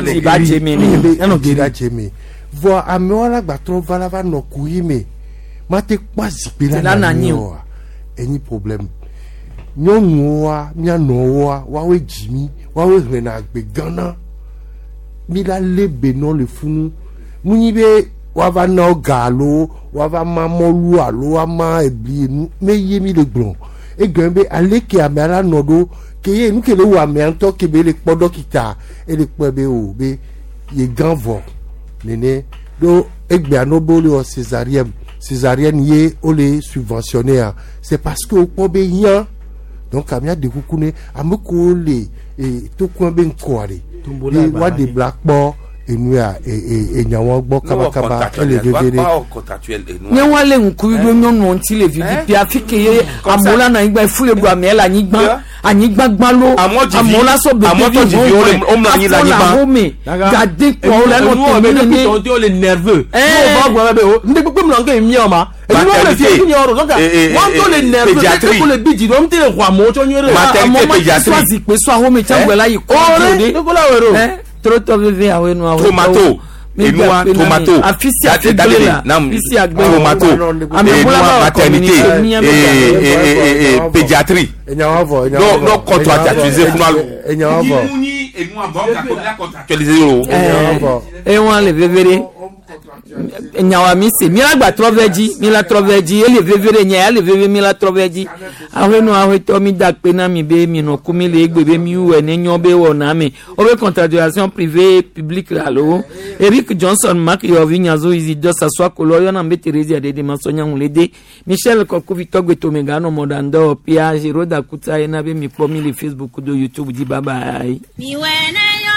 voa amewo la gbatrɔ va la va nɔ ku yi me mate kpɔ zikpui la na anyi oa enyi problème nyɔnuwoa mianɔwoa woawoe dzi mi woawoe hlẽna agbe gãna mi la lé be nɔ le funu munyi be woava na wo ga alo woava ma mɔlu alo woama ebli enu me ye mi le gblɔ egɔme be aleke amea la nɔ ɖo ke ye nu ke le wɔ amea ŋutɔ ke be le kpɔ dɔkita ele kpɔe be o be ye gã vɔ nene ɖo egbea no be wole wɔ césarienne césarienne ye wole subventionné a c'est parce que wokpɔ be hiã donc amea de kuku ne ame kewo le e tokua be ŋkɔa ɖe ye woaɖe bla kpɔ enu ya enyawo gbɔ kabakaba ele veve ɖe. Nye wa le ŋkuvi ɖo nyɔnuwo ŋuti le vivi pia afi ke ye amewo la nɔ anyigba efu le ɖu amea le anyigba anyigba gbalo amewo la sɔ bebe vi wo afɔ le ahome gade kpɔ le nɔ temi nene. O le nerveux. N'o b'a gbɔ bɛ o n tɛ kpekpe min na n kɛ miɲɛ ma. Maternité wọ́n le nerveux pédiatrie le bidji wọ́n tẹ wà mọ́ tsɔ nyere. Maternité pédiatrie. Sɔ zikpe sɔ ahome tsã gbɛ la yi kɔ de. Ore Torotɔ veve awo enu awo. Tomato enua tomato afisi agbe la afisi agbe tomato enua maternité et et pédiatrie. Non non contractualisé fún wa. Contractualisé o. Ewọn le veve de nyawa mi se mi la gba trɔ vɛ dzi mi la trɔ vɛ dzi ele veve ɖe nya ya le veve mi la trɔ vɛ dzi ahɔenu ahɔetɔ mi da kpe na mi be mi nɔ ku mi le egbe be mi wɔ ne nyɔ be wɔ na mi wo be contractualisation privée publique alo Eric Johnson Mark Yɔvi Nyazo Isidore Sasua Kolo yɔna be Thérésia Dede Masɔnya Ŋulede Michel Kɔkuvi Tɔgbetome Ganɔ Mɔɖandɔ Pia Giroda Kuta yena be mi kpɔ mi le Facebook do YouTube dzi bye bye. Mi wɛ ne yɔ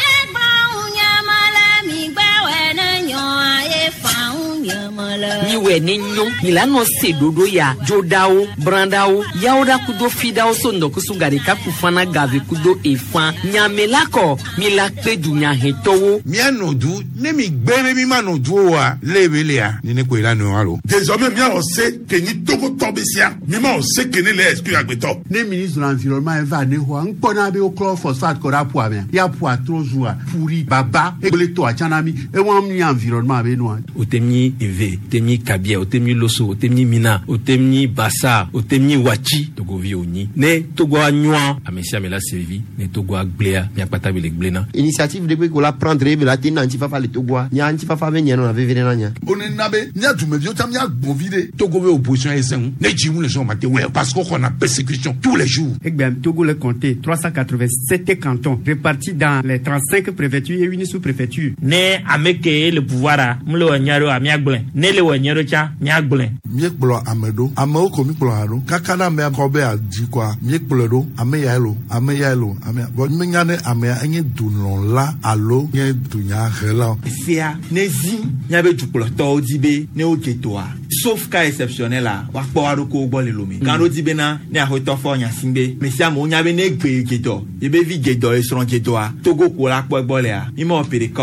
ye gblɔ ŋu nye me le mi gbɛ wɛ ne nyɔ ye fa ŋu nye me le. Miwɛ ne nyo milano se dodo ya dzodawo brandawo yawoɖa kudo fidawo so ŋdɔkusu gaɖeka kufana gave kudo efã nyamela kɔ mila kpe dunyahetɔwo. Mía nɔ du ne mi gbɛ be mi ma nɔ du o wa lebe lea nene koe la nɔ wa lo. Désormais mía wɔ se ke nyi Togotɔ be sia mi ma wɔ se ke ne le exclure agbetɔ. Ne ministre de l'environnement va ne xɔa ŋkpɔna be woklɔ phosphate kɔ ɖe aƒua mea ya ƒua trɔ zua ƒuri baba egble tɔa tsã na mi ewɔm nyi environnement be nua. O tɛ mi eve o tɛ mi kabia o tɛ mi loso o tɛ mi mina o tɛ mi basa o tɛ mi watsi togovi o nyi ne togoa nyɔa ame sia ame la se vivi ne togoa gblẽa miakpata be le gblẽna. Initiative de ko la prendre be la te na ŋutifafa le Togoa nya ŋutifafa be nye nɔna veve ɖe na nya. O ne na be mía dumeviwo tsã mía gbɔn vi ɖe. Togo be opposition ye sẽŋu ne dzi ŋu le sɔn ma te wɛ parce que xɔna persécution tous les jours. Egbea Togo le compté trois cent quatre-vingt-sept cantons répartis dans les trente-cinq préfectures et une sous-préfecture. Ne ame ke le pouvoir a mu le wɔ nya ɖo amea Miagblẽ ne le wɔ nyuie ɖo tsã miagblẽ. Míekplɔ ame ɖo, amewo ko míkplɔ hã ɖo kaka na amea kɔ be adzi kɔa, míekplɔe ɖo, ame yae lo, ame yae lo, ame ya vɔ míenya ne amea enye dulɔla alo nye dunyahela o. Sia ne zi míabe dukplɔtɔwo di be ne wodze toa, sauf cas exceptionnel la, woakpɔ wa ɖokuiwo gbɔ le lome. Gã ɖo di bena ne axɔtɔ fɔ nya si be me sia amewo nya be ne gbe dze dɔ, yebe vi dze dɔ, esrɔ̃ dze dɔa, Togo ko la kpɔ egbɔ lea, mi mewɔ ƒe ɖeka.